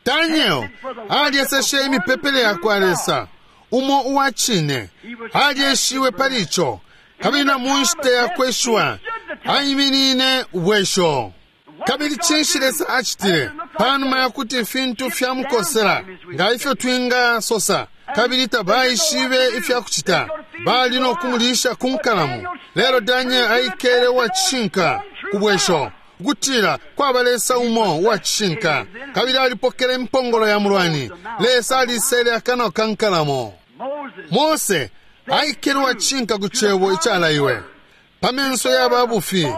Daniel alyeseshe imipepele ya kwa Lesa umo uwa cine, alyeshiwe pali ico, kabili na mu nshita ya kweshwa aiminine ubwesho. Kabili cinshi Lesa acitile panuma ya kuti ifintu fyamukosela nga ifyo twingasosa, kabili tabaishibe ifya kucita, bali no kumulisha ku nkalamu. Lelo Daniel aikele uwa cishinka ku bwesho, ukutila kwaba Lesa umo uwa cishinka, kabili alipokele impongolo ya mulwani. Lesa alisele akanwa ka nkalamo. Mose aikele uwa cishinka ku cebo icalaiwe pa menso ya babufi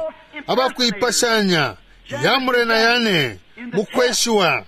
abakuipashanya yamure na yane mukweshiwa.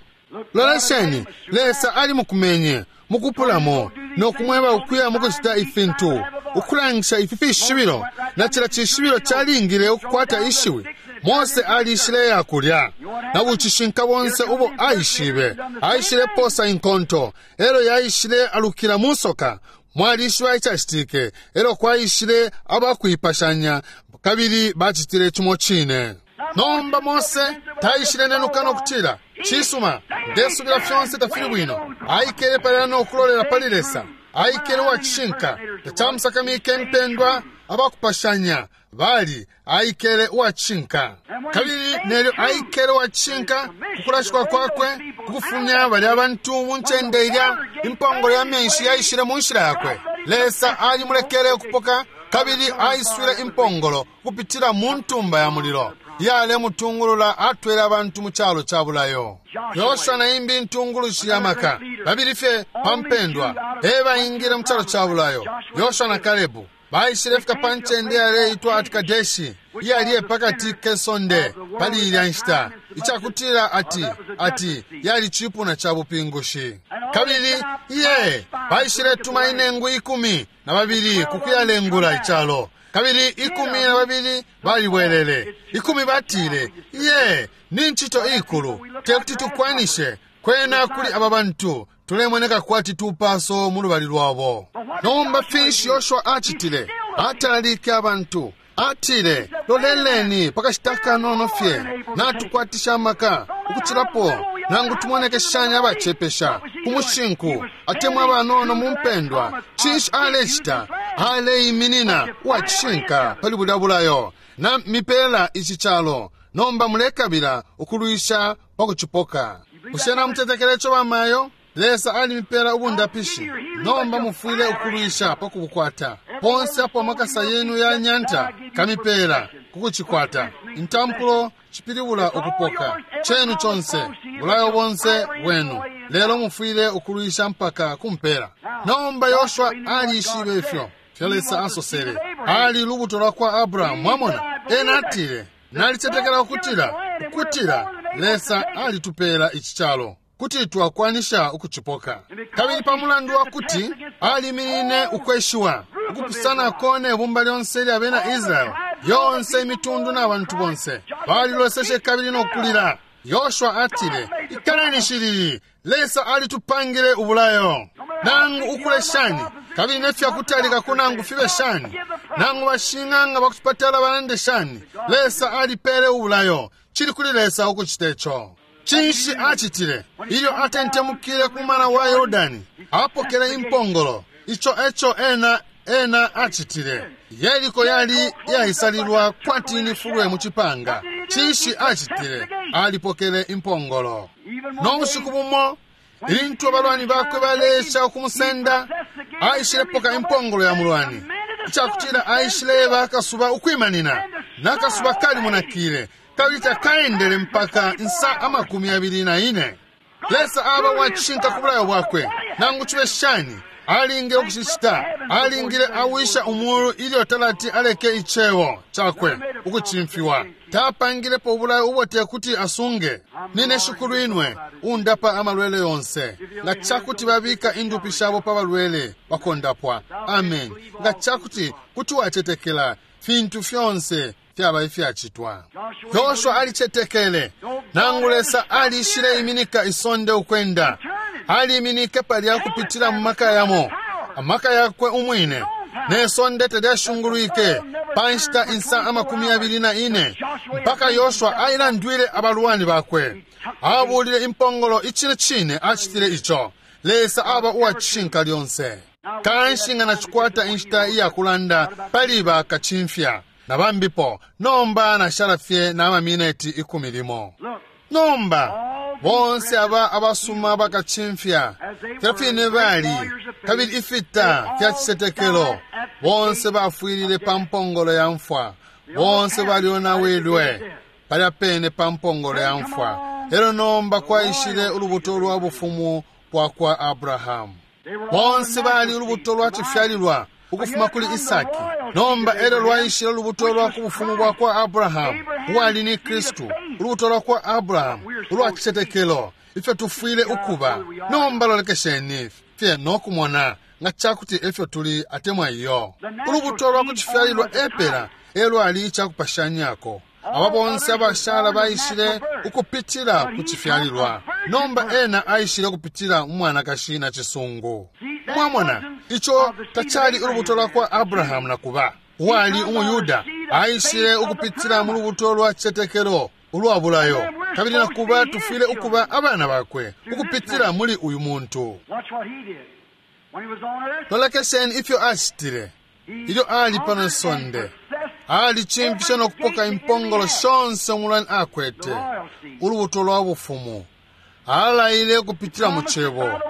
Lolesheni, Lesa ali mukumenye mukupulamo nokumweba ukuya mukucita ifintu ukulangisha ifi fishibilo, na cila cishibilo calingile ukukwata ishiwi. Mose alishile yakulya na bucishinka bonse ubo aishibe, aishile posa inkonto, elo yaishile alukila musoka. Mwalishiba icacitike, elo kwaishile abakuipashanya kabili bacitile cimo cine. Nomba Mose taishile nenuka nokutila cisuma, ndesubila fyonse tafili bwino. Aikele palya nokulolela pali Lesa, aikele uwacishinka, tacamusakamike impendwa abakupashanya bali, aikele uwacishinka. Kabili nelyo aikele uwacishinka kukulashikwa kwakwe kukufumya balya abantu mu ncende ilya impongolo ya menshi yaishile mu nshila yakwe. Lesa alimulekele ukupoka kabili aiswile impongolo kupitila mu ntumba ya mulilo yalemutungulula atwele abantu mu calo ca bulayo. Yoshua na imbi intungulushi ya maka babili fye pa mpendwa e baingile mu calo ca bulayo. Yoshua na Kalebu baishile fika pa ncende yaleitwa ati Kadeshi, iyali pakati kesonde pali ilya nshita, icakutila ati ati yali cipuna ca bupingushi. Kabili iye baishile tuma inengu ikumi na babili kukuyalengula icalo. Kabili ikumi na babili balibwelele. Ikumi batile, iye ni ncito ikulu, tekuti tukwanishe kwena kuli aba bantu tulemoneka kwati tupaso mu lubali lwabo. Nomba finshi Yoshua acitile? Atalalike abantu, atile, loleleni pakashita kanono fye, natukwatisha amaka ukucilapo, nangu tumoneke shani abacepesha ku mushinku atemwa abanono mu mpendwa. Cinshi alecita? Aleiminina uwacishinka pali bulya bulayo, na mipela ici calo, nomba mulekabila ukulwisha pa kucipoka. Bushe namutetekela ico bamayo? Lesa alimipela ubundapishi, nomba mufwile ukulwisha pa kubukwata. Ponse apo amakasa yenu ya nyanta kamipela kukucikwata. Intampulo cipilibula ukupoka chenu chonse, bulayo bonse bwenu, lelo mufwile ukulwisha mpaka kumpela. Nomba Yoshua alishibe ifyo fyo Lesa asosele. Ali lubuto lwa kwa Abrahamu, mwamona. Ena atile, nalicetekela ukutila ukutila Lesa alitupela ici calo kuti twakwanisha ukucipoka. Kabili pa mulandu wa kuti aliminine ukweshiwa ukupusanako ne bumba lyonse lya bena Israeli, yonse imitundu na bantu bonse baliloseshe kabili nokulila. Yoshua atile, ikaleni shilili, Lesa alitupangile ubulayo. Nangu ukule shani, kabili nefyakutalika kunangu fibe shani, nangu bashing'anga bakutupatala balande shani, Lesa alipele ubulayo. Cili kuli Lesa ukucita ico. Cinshi acitile? Ilyo atentemukile ku mumana wa Yordani, apokele impongolo. Ico eco ena ena acitile. Yeriko yali yaisalilwa kwati ni fulwe mu cipanga. Cinshi acitile? Alipokele impongolo. No bushiku bumo ilintu abalwani bakwe balesha ukumusenda, aishilepoka impongolo ya mulwani. Icakutila aishileba akasuba ukwimanina, nakasuba kalimunakile, kabili takaendele mpaka insa amakumi abili na ine. Lesa aba wacishinka ku bulayo bwakwe, nangu cibe shani alingile ukucicita. Alingile awisha umulu ilyo talati aleke icebo cakwe ukucimfiwa. Tapangilepo ubulayo ubo tekuti asunge. Nine shikulu inwe undapa amalwele yonse. Nga cakuti babika indupi shabo pa balwele bakondapwa. Amen. Nga cakuti kuti wacetekela, fintu fyonse fyaba ifyacitwa. Yoshua alicetekele, nangu Lesa alishile iminika isonde ukwenda. Aliminike palya kupitila mu maka yamo, amaka yakwe umwine, ne sonde telyashungulwike pa nshita insa amakumi abili na ine, mpaka Yoshua ailandwile abalwani bakwe. Abulile impongolo, icine cine acitile ico. Lesa aba uwacishinka lyonse. Kanshi nga nacikwata inshita iyakulanda pali bakacimfya na bambipo, nomba nashala fye na mamineti ikumi limo. Nomba bonse aba abasuma bakacimfya filya fine bali, kabili ifita fya cicetekelo, bonse bafwilile pa mpongolo ya mfwa, bonse balyonawilwe palya pene pa mpongolo ya mfwa. Elo nomba kwaishile ulubuto lwa bufumu bwa kwa Abrahamu. Bonse bali ulubuto lwa cifyalilwa ukufuma kuli Isaki. Nomba elo lwaishile ulubuto lwa ku bufumu bwa kwa Abrahamu, uwali ni Kristu, ulubuto lwa kwa Abrahamu ulwa cicetekelo, ifyo tufwile ukuba. Nomba lolekesheni fye no kumona nga cakuti efyo tuli atemwa iyo. Ulubuto lwa ku cifyalilwa epela elwali icakupashanyako. Aba bonse abashala baishile ukupitila ku cifyalilwa. Nomba ena aishile ukupitila mu mwanakashi na cisungu. Mwamona, ico tacali ulubuto lwa kwa Abrahamu na kuba uwali umuyuda, aishile ukupitila mu lubuto lwa cicetekelo ulwa bulayo, kabili na kuba tufwile ukuba abana bakwe ukupitila muli uyu muntu. Watch what he did. When he was on earth, Lolekesheni ifyo acitile ilyo ali pano isonde. Alicimfishe no kupoka impongolo shonse umulwani akwete, ulubuto lwa bufumu. Alaile ukupitila mu cebo,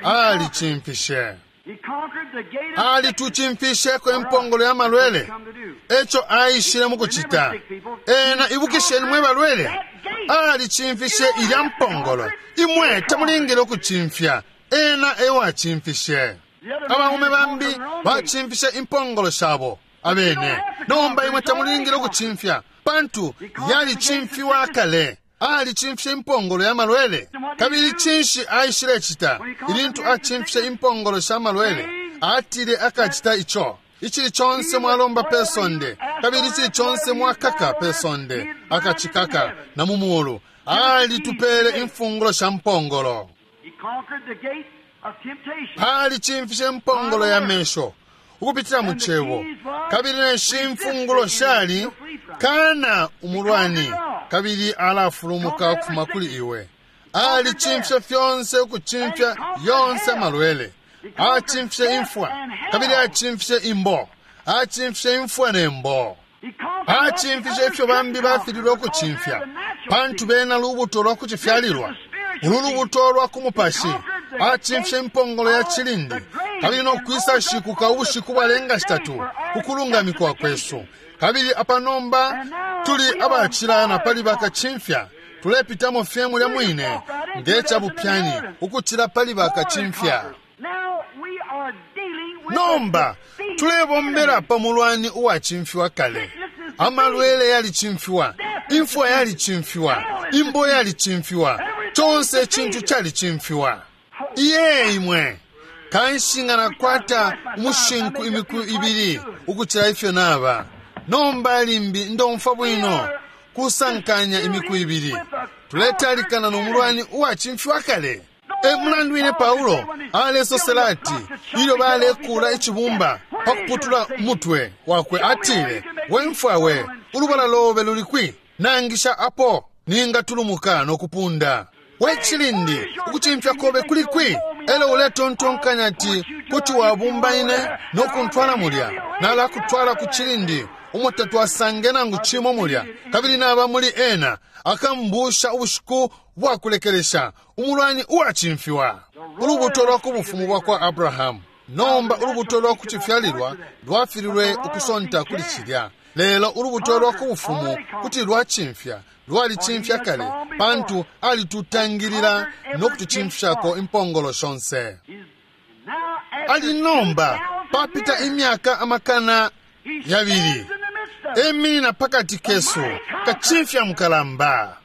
alicimfishe. he conquered the gate of Alitucimfisheko impongolo ya malwele, come to do. eco aishile mu kucita. Ena ibukisheni mwe balwele, alicimfishe ilya mpongolo. Imwe tamulingile ukucimfya, ena ewacimfishe. Abaume bambi bacimfishe impongolo shabo abene. Nomba imwe tamulingile ukucimfya, pantu yalicimfiwa kale. Alicimfishe impongolo ya malwele. Kabili cinshi aishile cita ilintu acimfishe impongolo sha malwele? Atile akacita ico. Icili conse mwalomba pe sonde, kabili icili conse mwakaka pe sonde, akacikaka na mu mulu. Alitupele imfungulo sha mpongolo. He conquered the gate of temptation. Alicimfishe impongolo ya mesho ukupitila mu cebo, kabili neshi imfungulo shali kana umulwani, kabili alafulumuka ukufuma kuli iwe. Alicimfishe fyonse, ukucimfya yonse amalwele. Acimfishe imfwa, kabili acimfishe imbo. Acimfishe imfwa ne mbo. He conquered what the Acimfishe ifyo bambi bafililwe ukucimfya, pantu bena lubuto lwa kucifyalilwa. Ulu lubuto lwa ku mupashi. Acimfishe impongolo ya cilindi, kabili no kwisa shikuka ubushiku bwalenga shitatu kukulungamikwa kwesu. Kabili apa nomba tuli abacilana pali bakacimfya, tulepitamo fye mulya mwine nge cabupyani ukucila pali bakacimfya. Now we are dealing with Nomba the defeated tulebombela enemy. pa mulwani uwacimfiwa kale. Amalwele yalicimfiwa, imfwa yalicimfiwa, imbo yalicimfiwa, conse icintu calicimfiwa. Iye imwe kanshi nga nakwata umushinku imiku ibili ukucila ifyo naba. Nomba limbi ndomfwa bwino kusankanya imiku ibili. Tuletalikana no mulwani uwacimfiwa kale. E mulandu wine Paulo alesosela ati ilyo balekula icibumba pa kuputula umutwe wakwe, atile, we mfwa we, ulubala lobe luli kwi? Nangisha apo ningatulumuka no kupunda. We cilindi, ukucimfya kobe kuli kwi? Elo uletontonkanya ati kuti wabumba ine no kuntwala mulya, nalakutwala ku cilindi umo tatwasange nangu cimo mulya, kabili naba muli ena akambusha ubushiku bwakulekelesha, umulwani uwacimfiwa. Ulubuto lwa ku bufumu bwa kwa Abrahamu Nomba ulubuto lwa kucifyalilwa lwafililwe ukusonta kuli cilya, lelo ulubuto lwa ku bufumu kuti lwacimfya, lwalicimfya kale, pantu alitutangilila no kutucimfyako impongolo shonse. Ali nomba papita imyaka amakana yabili, eminina pakati kesu kacimfya mukalamba.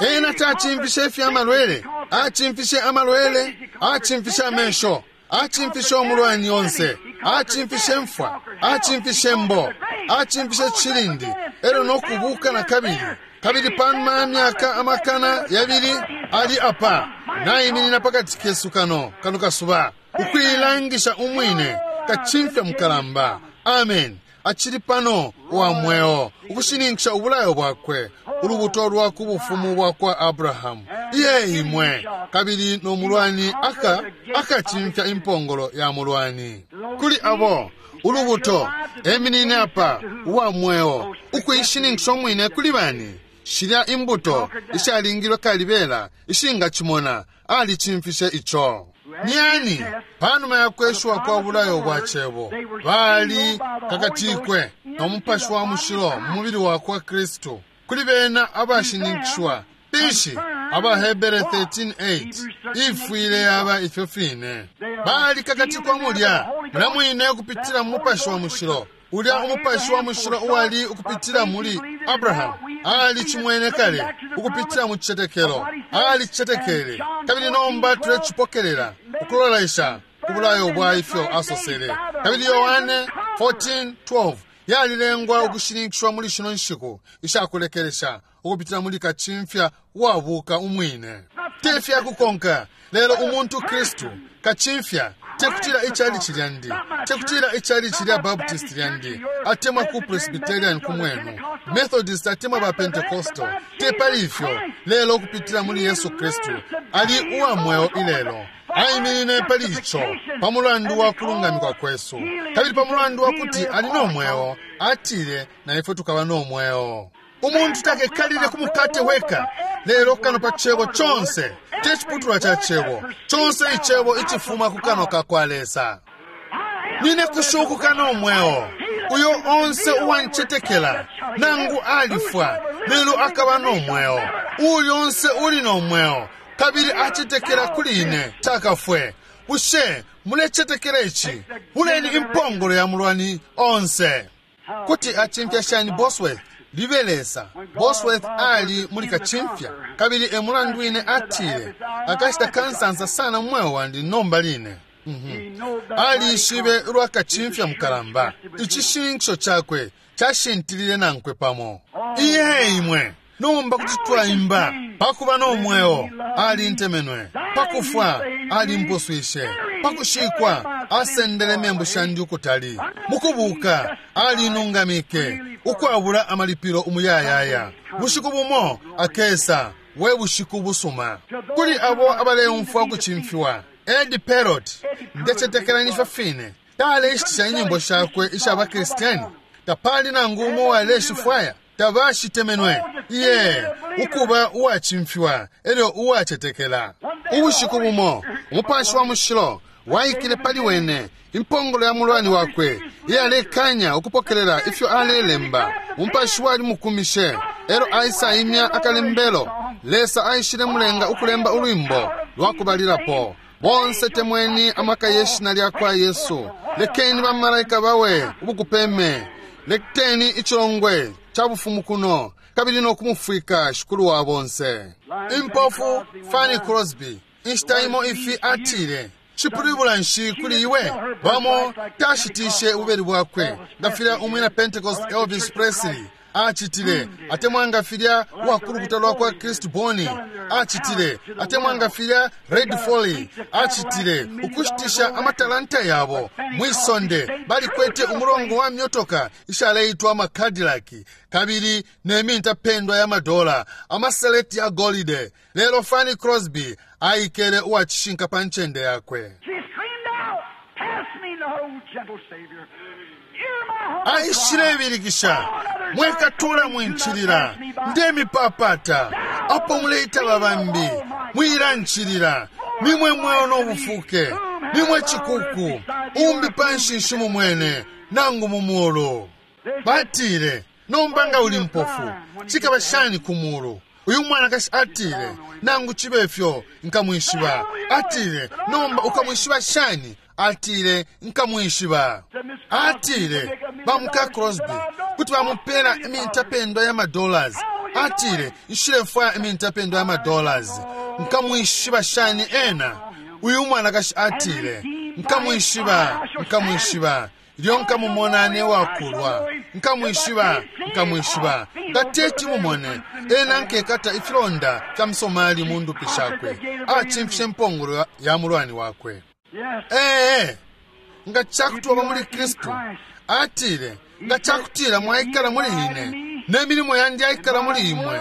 Ena tacimfishe ifya malwele, acimfishe amalwele, acimfishe amesho, acimfishe umulwani onse, acimfishe mfwa, acimfishe mbo, acimfishe cilindi, elyo nokubuka na kabili. Kabili panuma ya myaka amakana yabili ali apa naiminina pakati kesu kano kano kasuba ukuilangisha umwine kacimfya mukalamba. Amen. Acili pano uwa mweo ukushininkisha ubulayo bwakwe, ulubuto lwa ku bufumu bwa kwa Abrahamu. Iye imwe! Kabili no mulwani aka akacimfya impongolo ya mulwani. Kuli abo ulubuto eminine apa uwa mweo ukuishininkisha umwine kuli bani shilya imbuto ishalingilwe kalibela ishingacimona, alicimfishe ico. Nyani panuma ya kweshuwa kwa bulayo bwa cebo bali kakatikwe no mupashi wa mushilo mu mubili wa kwa Kristu. Kuli bena abashininkishwa pishi AbaHebere thirteen eight ifwile yaba ifyo fine. Bali kakatikwa mulya mulya mwine ukupitila mu mupashi wa mushilo, ulya umupashi wa mushilo uwali ukupitila muli Abrahamu. Ali cimwene kale ukupitila mu cicetekelo, ali cicetekele, kabili nomba tulecipokelela ukulolesha ku bulayo bwa ifyo asosele. Kabili Yohane fourteen twelve yalilengwa ukushininkishwa muli shino nshiku ishakulekelesha ukupitila muli kacimfya wabuka umwine. Te fyakukonka, lelo umuntu Kristu kacimfya. Tekutila ichalichi lyandi, tekutila ichalichi lya Baptist lyandi, atemwa ku Presbyterian kumwenu, Methodist atemwa ba Pentecostal, te pali ifyo, lelo ukupitila muli Yesu Kristu ali uwa mweo ilelo. Aiminine pali ico pa mulandu wa kulungamikwa kwesu, kabili pa mulandu wa kuti ali no mweo, atile na ifwe tukaba no mweo. Umuntu takekalile ku mukate weka, lelo kano pa cebo conse, te ciputulwa ca cebo conse, icebo icifuma ku kanwa ka kwa Lesa. Nine kushukuka no mweo. Uyo onse uwancetekela, nangu alifwa, lelo akaba no mweo. Uyo onse uli no mweo kabili acetekela kuli ine takafwe. Bushe mulecetekela ici? Buleni impongolo ya mulwani onse. Kuti acimfya shani Bosworth? Libe Lesa. Bosworth ali muli kacimfya, kabili e mulandu wine atile, "Akashita kansansa sana mu mweo wandi nomba line." Alishibe ulwa kacimfya mukalamba. Icishininkisho cakwe cashintilile nankwe pamo. Iye imwe! Nomba kuti twaimba, "Pakuba no mweo alintemenwe, pakufwa alimpuswishe, pakushikwa asendele membu shandi ukutali, mukubuka alinungamike ukwabula amalipilo umuyayaya. Bushiku bumo akesa, we bushiku busuma." Kuli abo abaleumfwa ukucimfiwa, Ed Perot, ndecetekela nifyo fine, taleishitisha inyimbo shakwe isha bakristiani. Tapali nangu umo waleshifwaya, tabashitemenwe. Iye, ukuba uwacimfiwa elyo uwacetekela! Ubushiku bumo umupashi wa mushilo waikile pali wene, impongolo ya mulwani wakwe iyalekanya ukupokelela ifyo alelemba, umupashi walimukumishe, elo aisaimya akalembelo. Lesa aishile mulenga ukulemba ulwimbo lwakubalilapo, "Bonse temweni amaka yeshina lya kwa Yesu. Lekeni bamalaika bawe ubukupeme. Lekeni icilongwe ca bufumu kuno kabili no kumufwika Shikulu wa bonse." Impofu Fanny Crosby inshita imo ifi atile, "Cipilibula nshi kuli iwe?" Bamo tashitishe ububeli bwakwe nga filya umwina Pentecost Elvis Presley acitile, atemwa nga filya uwakulukuta lwa kwa Kristu Boni acitile, atemwa nga filya Red Foley acitile, ukushitisha amatalanta yabo mwi sonde. Balikwete umulongo wa myotoka ishaleitwa amaCadillac kabili ne mintapendwa ya madola, amaseleti ya golide, lelo Fanny Crosby aikele uwacishinka pa ncende yakwe. She screamed out, "Pass me not, O gentle Savior. Hear my humble cry." Aishilebilikisha, "Mwekatula mwincilila, ndemipapata apo muleitaba bambi, mwilancilila. Nimwe mweo no bufuke, nimwe cikuku, Umbi panshi nshimumwene nangu mu mulu. Batile, nomba nga uli mpofu, cikaba shani ku mulu? Uyu mwanakashi atile, nangu cibe fyo nkamwishiba. Atile, nomba ukamwishiba shani? Atile, nkamwishiba. Atile, bamuka Crosby kuti bamupela imintapendwa ya madollars. Atile, nshilefwaya imintapendwa ya madollars. Nkamwishiba shani ena? Uyu mwanakashi atile, nkamwishiba, nkamwishiba. Ilyo nkamumona ne wakulwa, nkamwishiba, nkamwishiba. Nga teti mumone, ena nkekata ifilonda fya msomali mu ndupi shakwe, acimfishe mpongolo ya mulwani wakwe. Ee, nga cakuti waba muli Kristu, atile, nga cakutila mwaikala muli ine, ne milimo yandi yaikala muli imwe,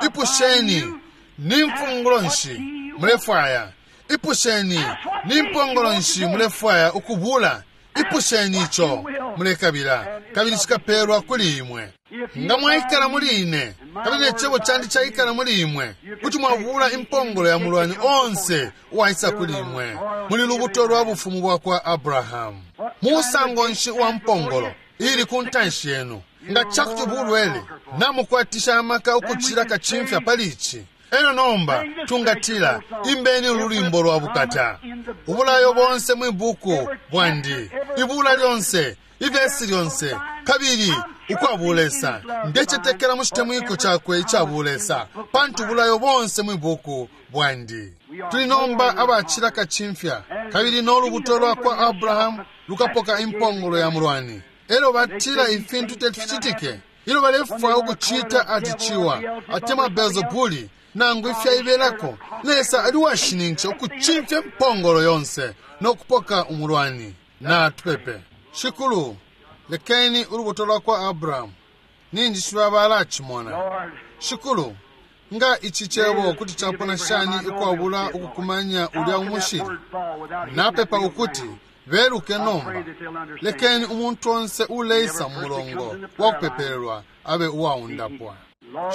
ipusheni, ni mfungulo nshi mulefwaya? Ipusheni, ni mpongolo nshi mulefwaya ukubula? Ipusheni ico mulekabila, kabili cikapelwa kuli imwe. Nga mwaikala muli ine, kabili ne cebo candi caikala muli imwe, kuti mwabula impongolo ya mulwani onse uwaisa kuli imwe. Muli lubuto lwa bufumu bwa kwa Abrahamu. Musango nshi uwa mpongolo ili ku ntanshi yenu? Nga cakuti bulwele namukwatisha amaka ukucila kacimfya pali ici. Eno nomba tungatila, imbeni ululimbo lwa bukata. Ubulayo bonse mwibuku bwandi, ibula lyonse, ivesi lyonse, kabili ukwabulesa. Ndecetekela mu citemwiko cakwe icabulesa, pantu ubulayo bonse mwibuku bwandi. Tuli nomba abacila kacimfya, kabili n'olubuto lwa kwa Abrahamu lukapoka impongolo ya mulwani. Elo batila ifintu teficitike, ilyo balefwaya ukucita ati ciwa, atemwa Beelzebuli, nangu ifyaibelako, Lesa ali washininkisha ukucimfya impongolo yonse no kupoka umulwani. Natupepe. Shikulu, lekeni ulubuto lwa kwa Abrahamu ninjishiba balacimona. Shikulu, nga ici cebo kuti capona shani ukwabula ukukumanya ulya umushili? Napepa ukuti beluke nomba. Lekeni umuntu onse uleisa mu mulongo wa kupepelelwa abe uwaundapwa.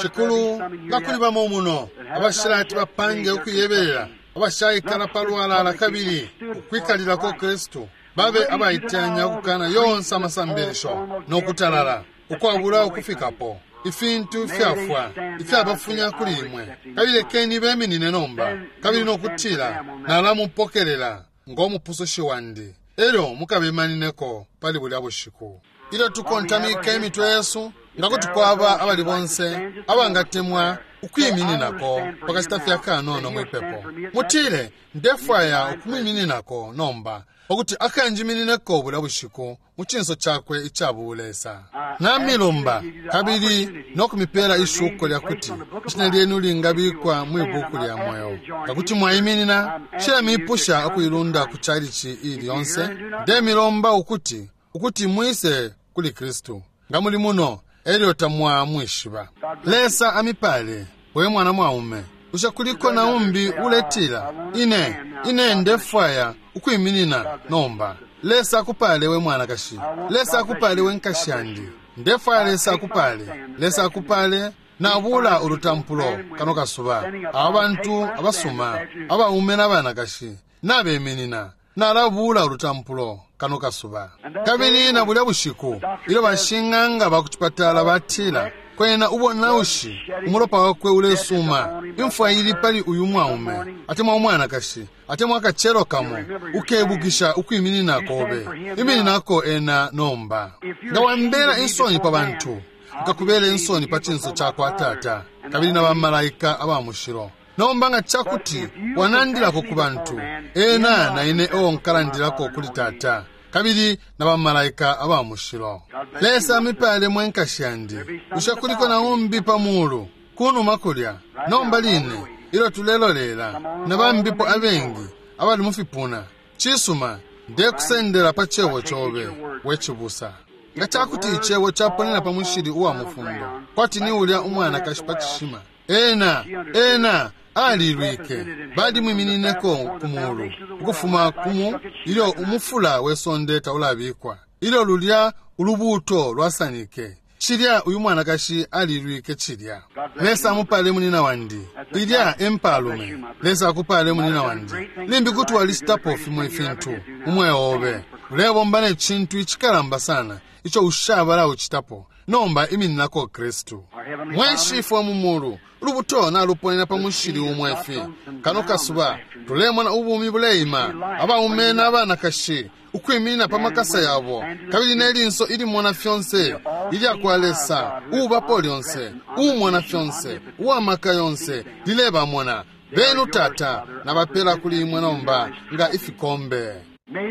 Shikulu, nga kuli bamo muno abashilati bapange ukuyebelela, abashaikala palwalala kabili ukwikalilako Kristu, babe abaitenya ukukana yonse amasambilisho nokutalala ukwabula ukufikapo ifintu fyafwa ifyabafunya kuli imwe. Kabili lekeni beminine nomba, kabili nokutila, nalamupokelela ngomupusushi wandi. Elyo mukabimanineko pali bulya bushiku. Ilyo tukontamika imitwe yesu, nga kuti kwaba abali bonse abangatemwa ukwimininako pakashita fya kanono mwipepo, mutile, ndefwaya ukumwimininako nomba, pakuti akanjiminineko bulya bushiku mu cinso cakwe icabulesa. Namilomba kabili nokumipela ishuko lya kuti ishina lyenu lingabikwa mwibuku lya mweo. Pakuti mwaiminina, nshilamipusha ukuilunda ku chalichi ili yonse. Ndemilomba ukuti ukuti mwise kuli Kristu. Nga muli muno, elyo tamwamwishiba. Lesa amipale, we mwana mwaume. Usha kuliko na umbi uletila, ine ine ndefwaya ukwiminina nomba. Lesa akupale we mwanakashi. Lesa akupale we nkashi yandi. Ndefwaya Lesa akupale. Lesa akupale. Nabula ulutampulo kano kasuba. Abantu abasuma, abaume n'abanakashi, nabeminina. Nalabula ulutampulo kano kasuba. Kabili na bulya bushiku, ilyo bashing'anga bakucipatala batila, kwena ubonaushi, umulopa wakwe ulesuma, imfwa ili pali uyu mwaume, atemwa umwanakashi, atemwa akachelo kamo, ukebukisha ukwiminina kobe. Imininako ena nomba. Nga wambela insoni pa bantu, nkakubela insoni pa cinso cakwa Tata, kabili na bamalaika aba mushilo. Nomba nga cakuti wanandilako ku bantu, ena na ine ewo nkalandilako kuli Tata, kabili na bamalaika aba mushilo. Lesa amipale mwe nkashi yandi. Usha kuliko na umbi pa mulu, kunuma kulya. Nomba line, ilyo tulelolela, na bambipo abengi abali mu fipuna. Cisuma, ndekusendela pa cebo cobe, we cibusa. Nga cakuti icebo caponena pa mushili uwa mufundo, kwati ni ulya umwanakashi pa cishima. Ena, ena, alilwike, balimwiminineko ku mulu, ukufuma kumu, ilyo umufula we sonde taulabikwa, ilyo lulya ulubuto lwasanike. Cilya uyu mwanakashi alilwike cilya. Lesa amupale munina wandi. Ilya empalume. Lesa akupale munina wandi. Limbi kuti walicitapo fimo ifintu umweo obe, Ulebomba ne cintu icikalamba sana ico ushabala ucitapo. Nomba imininako Kristu. Mwe Shifwe mu mulu, ulubuto naluponena pa mushili umwefi. Kano kasuba tulemona ubumi buleima, abaume n'abanakashi ukwiminina pa makasa yabo, kabili ne linso ilimona fyonse ilya kwa Lesa, uubapo lyonse, uumona fyonse, uwamaka yonse, lilebamona. Benu Tata, nabapela kuli imwe nomba nga ifikombe.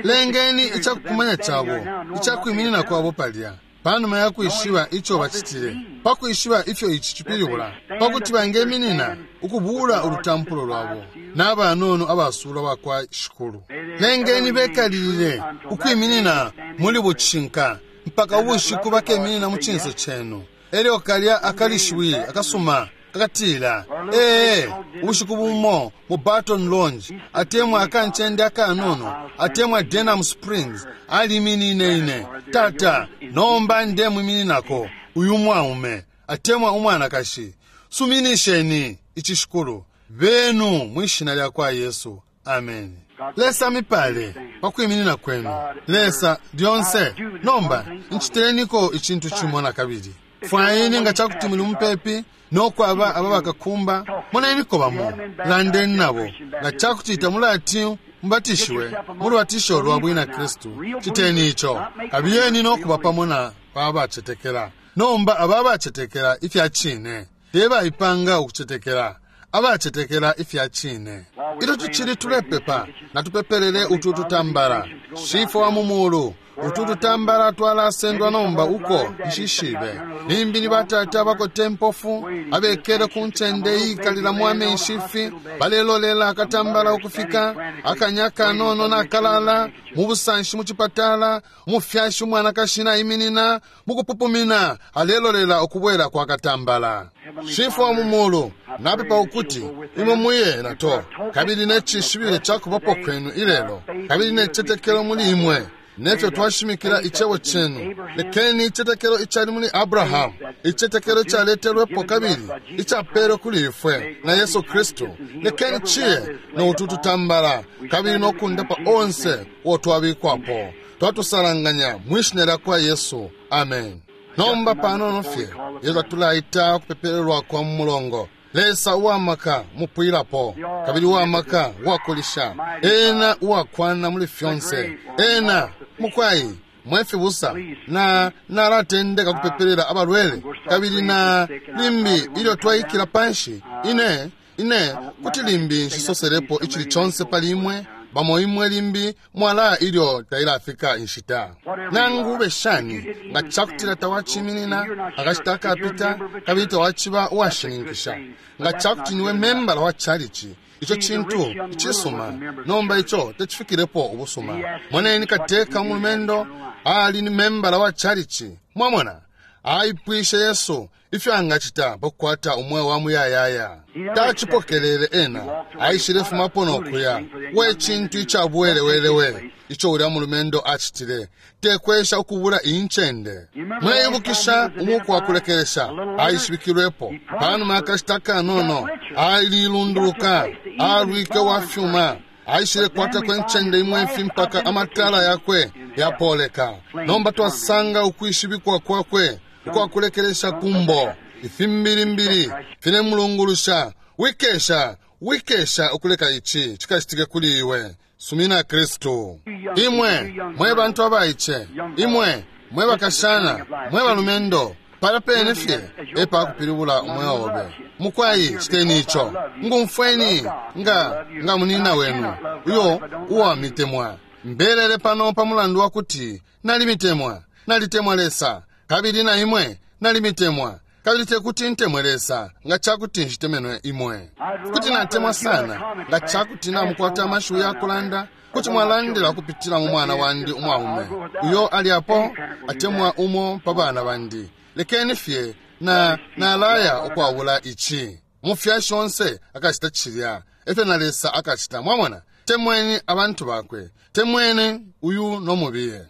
Lengeni icakukumanya cabo, icakwiminina kwabo palya, panuma ya kwishiba ico bacitile, pakwishiba ifyo ici cipilibula, pakuti bangeminina ukubula ulutampulo lwabo n'abanono abasulwa bakwa Shikulu. Lengeni bekalilile ukwiminina muli bucinka mpaka ubushiku bakeminina mu cinso cenu. Elyo kalya akalishiwi akasuma akatila, ee, ubushiku bumo mu Barton Lounge, atemwa akancende akanono, atemwa Denham Springs, aliminine ine. Tata, nomba ndemwimininako uyu mwaume atemwa umwanakashi. Suminisheni ici Shikulu benu mwishina lya kwa Yesu. Amen. Lesa mipale pakwiminina kwenu. Lesa lyonse. Nomba ncitileniko icintu cimo na kabili. Fwayeni nga cakuti muli mupepi nokwaba aba bakakumba, moneniko bamo, landeni nabo. Nga cakuti tamulati mubatishiwe mu lubatisho lwa bwina Kristu, citeni ico. Kabiyeni nokuba pamo na babacetekela. Nomba aba bacetekela ifya cine, te baipanga ukucetekela, abacetekela ifya cine. Ilyo tucili tulepepa, natupepelele utu tutambala. Shifwe wa mu mulu, utu tutambala twalasendwa nomba uko nshishibe. Limbi ni batata bakote mpofu abekele ku ncende iyikalilamo amenshi ifi, balelolela akatambala ukufika akanya kanono nakalala mu busanshi mu cipatala. Umufyashi umwanakashi naiminina mukupupumina, alelolela ukubwela kwa katambala. Shifwe wa mu mulu, napepa ukuti imwe muye nato, kabili ne cishibilo cakubapo kwenu ilelo, kabili ne citetekelo muli imwe nefyo twashimikila icebo cenu. Lekeni icitetekelo icali muli Abrahamu, icitetekelo icaletelwepo kabili icapelwe kuli ifwe na Yesu Kristu, lekeni ciye no utu tutambala kabili nokundapa onse uo twabikwapo. Twatusalanganya mwishina lya kwa Yesu. Amen. Nomba panono fye ilyo tatulaita ukupepelelwa kwa mu mulongo. Lesa uwamaka mupwilapo, kabili uwamaka uwakulisha, ena uwakwana muli fyonse, ena mukwai mwefibusa na nalatendeka kupepelela abalwele, kabili na limbi ilyo twaikila panshi ine ine kuti limbi nshisoselepo icili conse pali imwe. Bamo imwe limbi mwala ilyo tailafika inshita. Nangu ube shani, nga cakutila tawaciminina akashita akapita kabili tawaciba uwashininkisha, nga cakuti niwe membala wa chalichi, ico cintu icisuma. Nomba ico tecifikilepo ubusuma. Moneni kateka umulumendo ali ni membala wa chalichi. Mwamona, aipwishe Yesu ifyo angacita pakukwata umweo wa muyayaya. Tacipokelele ena, aishile fumapo nokuya. We cintu icabwelewelewe ico ulya mulumendo acitile, tekwesha ukubula incende. Mweibukisha umuku wa kulekelesha aishibikilwepo panuma yakashita kanono, alilunduluka, alwike wa fyuma, aishile kwatako incende imwe ifi mpaka amatala yakwe yapoleka. Nomba twasanga ukwishibikwa kwakwe ukwakulekelesha kumbo. Ifimbilimbili filemulungulusha. Wikesha, wikesha ukuleka ici cikacitike kuli iwe. Sumina Kristu. Imwe mwe bantu abaice, imwe mwe bakashana, mwe balumendo, pala pene fye epakupilibula umweo obe. Mukwai citeni ico. Ngumfweni nga nga munina wenu uyo uwamitemwa. Mbelele pano pa mulandu wa kuti nalimitemwa, nalitemwa Lesa, kabili na imwe nalimitemwa, kabili tekuti ntemwe Lesa nga cakuti nshitemenwe imwe. Kuti natemwa sana nga cakuti namukwata amashiwi ya kulanda, kuti mwalandila ukupitila mu mwana wandi umwaume uyo ali apo atemwa umo pa bana bandi. Lekeni fye na nalaya ukwabula ici. Umufyashi onse akacita cilya efyo na Lesa akacita. Mwamona, temweni abantu bakwe, temweni uyu nomubiye.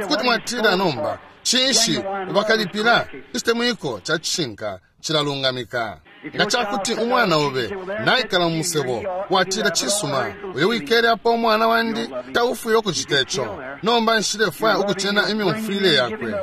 Kuti mwatila nomba, cinshi bakalipila? Icitemwiko ca cishinka Cilalungamika. Nga cakuti umwana obe naikala mu musebo, watila, cisuma, uyo wikele apo umwana wandi taufwile ukucita ico, nomba nshilefwaya ukucena imyumfwile yakwe.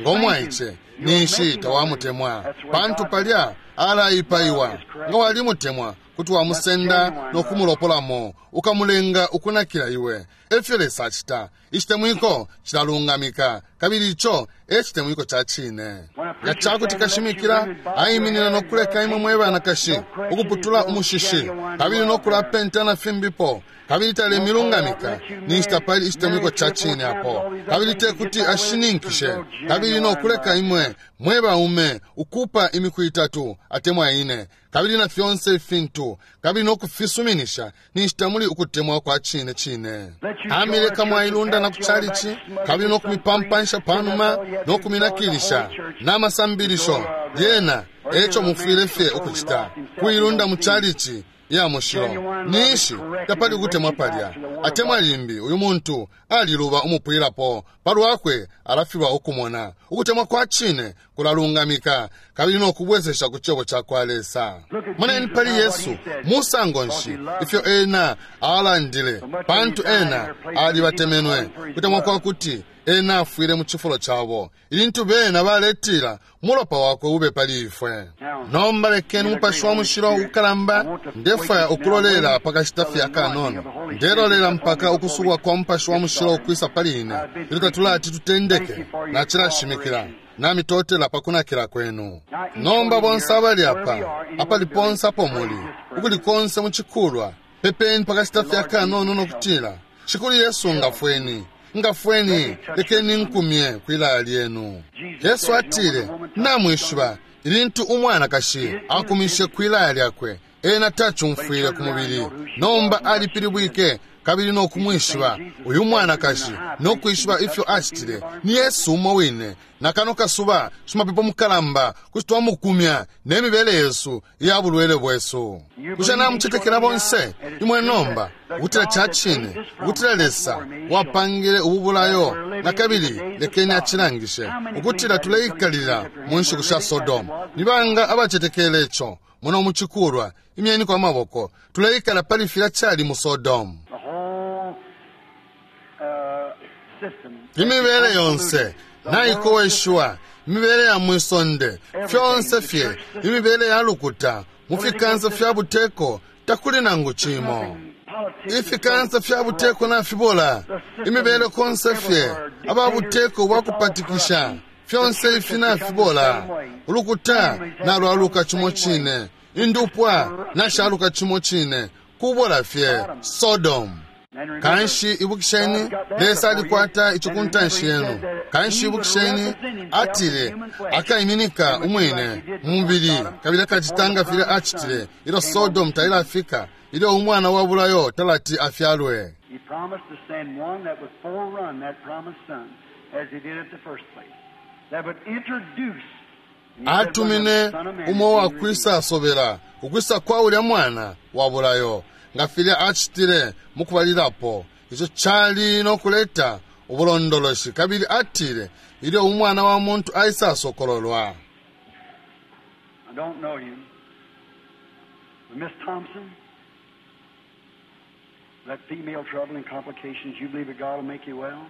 Ngo mwaice ninshi tawamutemwa, pantu palya alaipaiwa. Nga walimutemwa, kuti wamusenda no kumulopolamo, ukamulenga ukunakila iwe. Efyo Lesa acita. Icitemwiko cilalungamika, kabili ico e citemwiko ca cine. Nga cakuti kashimikila aiminina no kuleka imwe mwe banakashi ukuputula umushishi kabili no kulapenta na fimbipo, kabili talemilungamika, ninshi tapali icitemwiko ca cine apo. Kabili te kuti ashininkishe kabili no kuleka imwe mwe baume ukupa imiku itatu atemwa ine, kabili na fyonse ifintu, kabili no kufisuminisha, ninshi tamuli ukutemwa kwa cine cine. Amileka mwailunda na kuchalichi, kabili no kumipampansha panuma no kuminakilisha n'amasambilisho yena. Eco mufwile fye ukucita kuilunda mu chalichi ya mushilo, ninshi tapali ukutemwa palya. Atemwa limbi uyu muntu aliluba umupwilapo palwakwe, alafilwa ukumona. Ukutemwa kwa cine kulalungamika kabili no kubwezesha ku cebo ca kwa Lesa. Moneni pali Yesu musango nshi ifyo ena alandile, pantu ena alibatemenwe. Kutemwa kwa kuti ena afwile mu cifulo cabo, ilintu bena baletila mulopa wakwe ube pali ifwe. Nomba lekeni Umupashi wa Mushilo ukalamba. Ndefwaya ukulolela pakashita fye akanono. Ndelolela mpaka ukusubwa kwa Mupashi wa Mushilo ukwisa pali ine, ilyo tatulati tutendeke. Nacilashimikila namitotela pakunakila kwenu. Nomba bonse abali apa, apali ponse apo muli, ukuli konse mucikulwa, pepeni pakashita fye akanono nokutila, Shikulu Yesu, ngafweni, ngafweni, lekeni nkumye kwilaya lyenu. Yesu atile, namwishiba, ilintu umwanakashi akumishe kwilaya lyakwe, ena tacumfwile ku mubili, nomba alipilibwike kabili no kumwishiba uyu mwanakashi no kwishiba ifyo acitile. Ni Yesu umo wine na kano kasuba, shimapepo mukalamba, kuti twamukumya ne mibele yesu iya bulwele bwesu. Bushe namucetekela bonse imwe nomba ukutila ca cine, ukutila Lesa wapangile ubu bulayo na kabili lekeni acilangishe ukutila tuleikalila mu nshiku sha Sodomu? Ni banga abacetekele ico muno mucikulwa? Imyeniko amaboko. Tuleikala pali filya cali mu Sodomu. The whole uh, system. Imibele yonse naikoweshiwa, imibele ya mwisonde, fyonse fye, imibele ya lukuta, mu fikansa fya buteko takuli nangu cimo. Ifikansa fya buteko nafibola, imibele konse fye, aba buteko bwakupatikisha, fyonse ifi nafibola. Ulukuta nalwaluka cimo cine, indupwa nashaluka cimo cine, kubola fye Sodom. Kanshi ibukisheni, Lesa alikwata ico ku ntanshi yenu. Kanshi ibukisheni, atile akaiminika umwine mu mubili kabili akacitanga filya acitile ilyo Sodom tailafika, ilyo umwana wa bulayo talati afyalwe. He promised to send one that would forerun that promised son, as he did at the first place, that would introduce. And he said, when Atumine the Son of Man umo is wa revealed. kwisa asobela ukwisa kwa ulya mwana wa bulayo, nga filya acitile mukubalilapo. Ico cali no kuleta ubulondoloshi, kabili atile ilyo umwana wa muntu aisa asokololwa. I don't know you. But Miss Thompson, that female trouble and complications, you believe that God will make you well?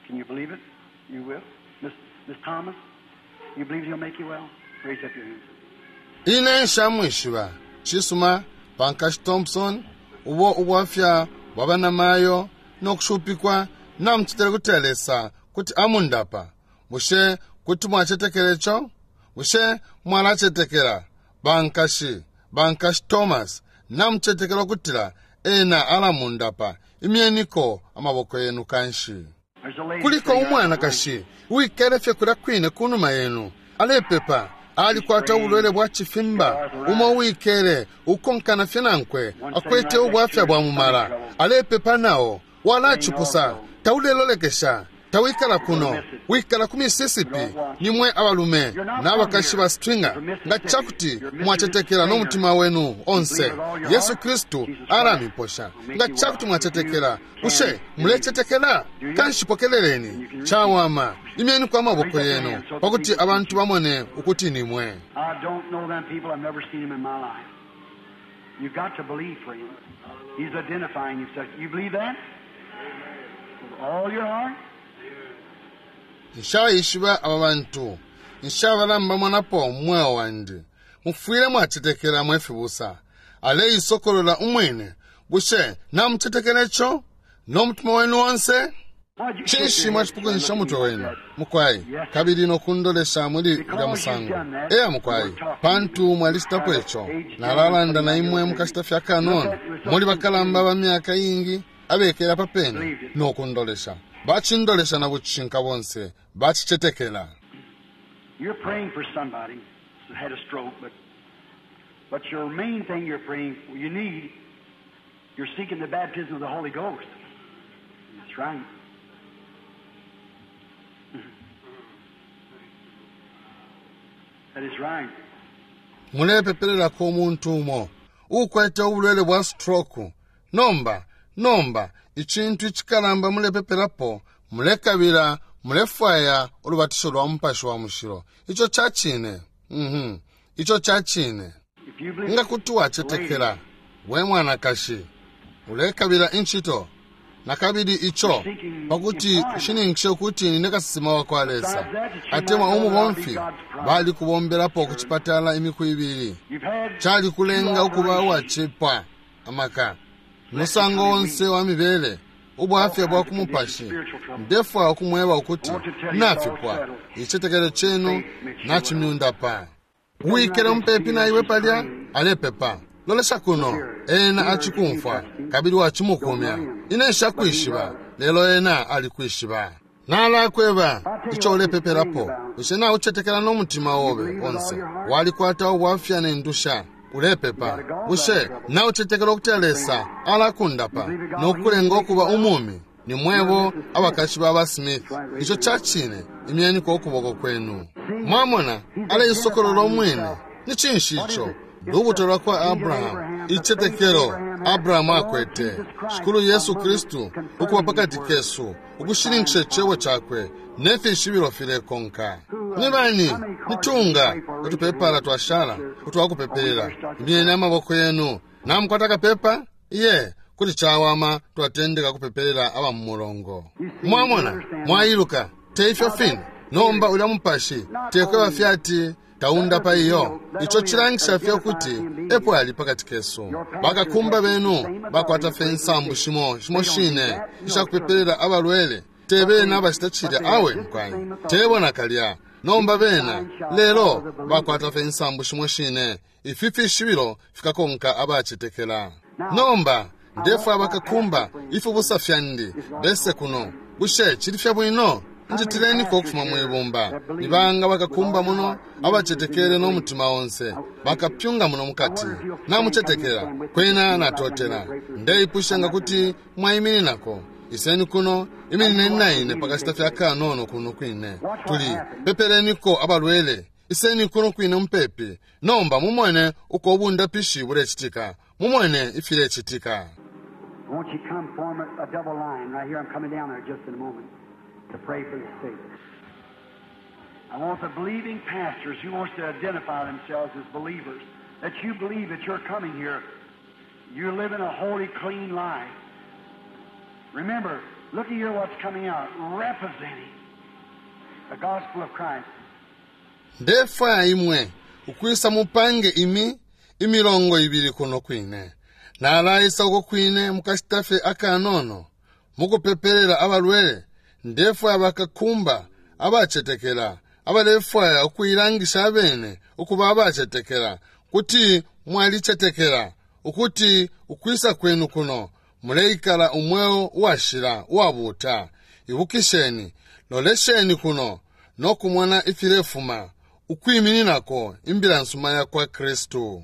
Can you believe it? You will. Miss, Miss Thomas, you believe He'll make you well? Raise up your hands. Ine nshamwishiba. Cisuma, pankashi Thompson, ubo ubwafya bwa banamayo no kushupikwa, namucitile kuti Lesa kuti amundapa. Bushe kuti mwacetekela ico? Bushe mwalacetekela? Bankashi, bankashi Thomas, namucetekela ukutila ena alamundapa? Imyeniko amaboko yenu kanshi. There's a lady Kuliko sitting right umwanakashi wikele fye kulya kwine kunuma yenu, alepepa, alikwata ubulwele bwa cifimba. Umo wikele ukonkana fye nankwe akwete ubwafya bwa mumala, alepepa nao, walacipusa, taulelolekesha. Tawikala kuno, wikala ku Mississippi. Nimwe abalume n'abakashi ba Stringer. Nga cakuti mwacetekela n'omutima wenu onse, Yesu Kristu alamiposha. Nga cakuti mwacetekela, bushe mulecetekela? Kanshi pokeleleni cawama, imyeni kwa maboko yenu pakuti abantu bamone ukuti nimwe. I don't know them people. I've never seen them in my life. You've got to believe, friend. He's identifying himself. You believe that? With all your heart? Nshaishiba aba bantu, nshabalamba mu mweo wandi. Mufwile mwacetekela mwe fibusa. Aleisokolola umwine. Bushe namucetekela ico n'omutima wenu wonse? Why'd you shake Cinshi your head, mwacipukunyisha sir, umutwe looking wenu like that? mukwai, kabili nokundolesha muli ulya musango? Eya mukwai, pantu mwalicitapo ico. Nalalanda na imwe mukacita fya kanono. Muli bakalamba ba myaka ingi abekela papene nokundolesha. Bacindolesha na bucishinka bonse, bacicetekela. You're praying for somebody who had a stroke, but but your main thing you're praying for, you need, you're seeking the baptism of the Holy Ghost. That's right. That is right. Mulepepelelako umuntu umo ukwete ubulwele bwa stroke. Nomba nomba icintu icikalamba mulepepelapo, mulekabila, mulefwaya ulubatisho lwa Mupashi wa Mushilo. Ico cacine. Mhm ico cacine. If you believe, Nga kuti wacetekela, we mwanakashi, ulekabila incito nakabili ico pakuti ushininkishe ukuti nine kasesema wa kwa Lesa atemwa umubomfi. Bali kubombelapo ku cipatala imiku ibili. You've had Cali kulenga two ukuba operations. uwacepwa amaka musango onse wa mibele, ubwafya bwa ku mupashi. Ndefwaya ukumweba ukuti nafipwa. Icetekelo cenu nacimyundapa. Uwikele mupepi na iwe palya alepepa. Lolesha kuno, ena acikumfwa kabili wacimukumya. Ine nshakwishiba, lelo ena alikwishiba. Nalakweba ico ulepepelapo. Bushe naucetekela n'omutima obe onse? Walikwata ubwafya ne ndusha, ulepepa. Bushe naucetekela ukuti Lesa alakundapa nokulenga okuba umumi? Ni mwebo abakashi ba ba Smith. Ico cacine. Imyeniko ukuboko kwenu. Mwamona, aleisokolola umwine. Ni cinshi ico? Lubuto lwa kwa Abrahamu, icetekelo Abrahamu akwete. Shikulu Yesu Kristu ukuba pakati kesu, ukushininkisha icebo cakwe nefishibilo filekonka. Ni bani nitunga utupepala twashala utwakupepelela? Imyeni amaboko yenu. Namukwata kapepa? Iye, kuti cawama twatendeka kupepelela aba mu mulongo. Mwamona, mwailuka te ifyo fine. Nomba ulya mupashi tekweba fyati taundapa iyo. Ico cilangisha fye ukuti epo ali pakati kesu. Bakakumba benu bakwata fye insambu shimo shimo shine ishakupepelela abalwele. Te bena abacita cilya, awe mukwai, tebo nakalya. Nomba bena lelo bakwata fye insambu shimo shine. Ifi fishibilo fikakonka abacetekela. Nomba ndefwaya bakakumba ifibusa fyandi bese kuno. Bushe cili fye bwino? Njitileniko ukufuma mwibumba. Nibanga bakakumba muno abacetekele n'omutima onse, bakapyunga muno mukati? Namucetekela kwena natotela. Ndeipusha nga kuti mwayimininako. Iseni kuno, iminineni naine pakashita fya kanono kuno kwine. Tuli pepeleniko abalwele. Iseni kuno kwine mupepi. Nomba mumone uko obundapishi bulecitika, mumone ifilecitika. Won't you come form a, a double line right here? I'm coming down there just in a moment to pray for the sick. I want the believing pastors who wants to identify themselves as believers, that you believe that you're coming here, you're living a holy, clean life. Remember, look at here what's coming out, representing the gospel of Christ. Ndefwaya imwe ukwisa mupange imi imilongo ibili kuno kwine. Nalaisa uko kwine mukashita fye akanono mukupepelela abalwele. Ndefwaya bakakumba abacetekela abalefwaya ukuilangisha abene ukuba abacetekela, kuti mwalicetekela ukuti ukwisa kwenu kuno muleikala umweo uwashila uwabuuta. Ibukisheni, lolesheni kuno nokumona ifilefuma ukwimininako imbila nsuma ya kwa Kristu.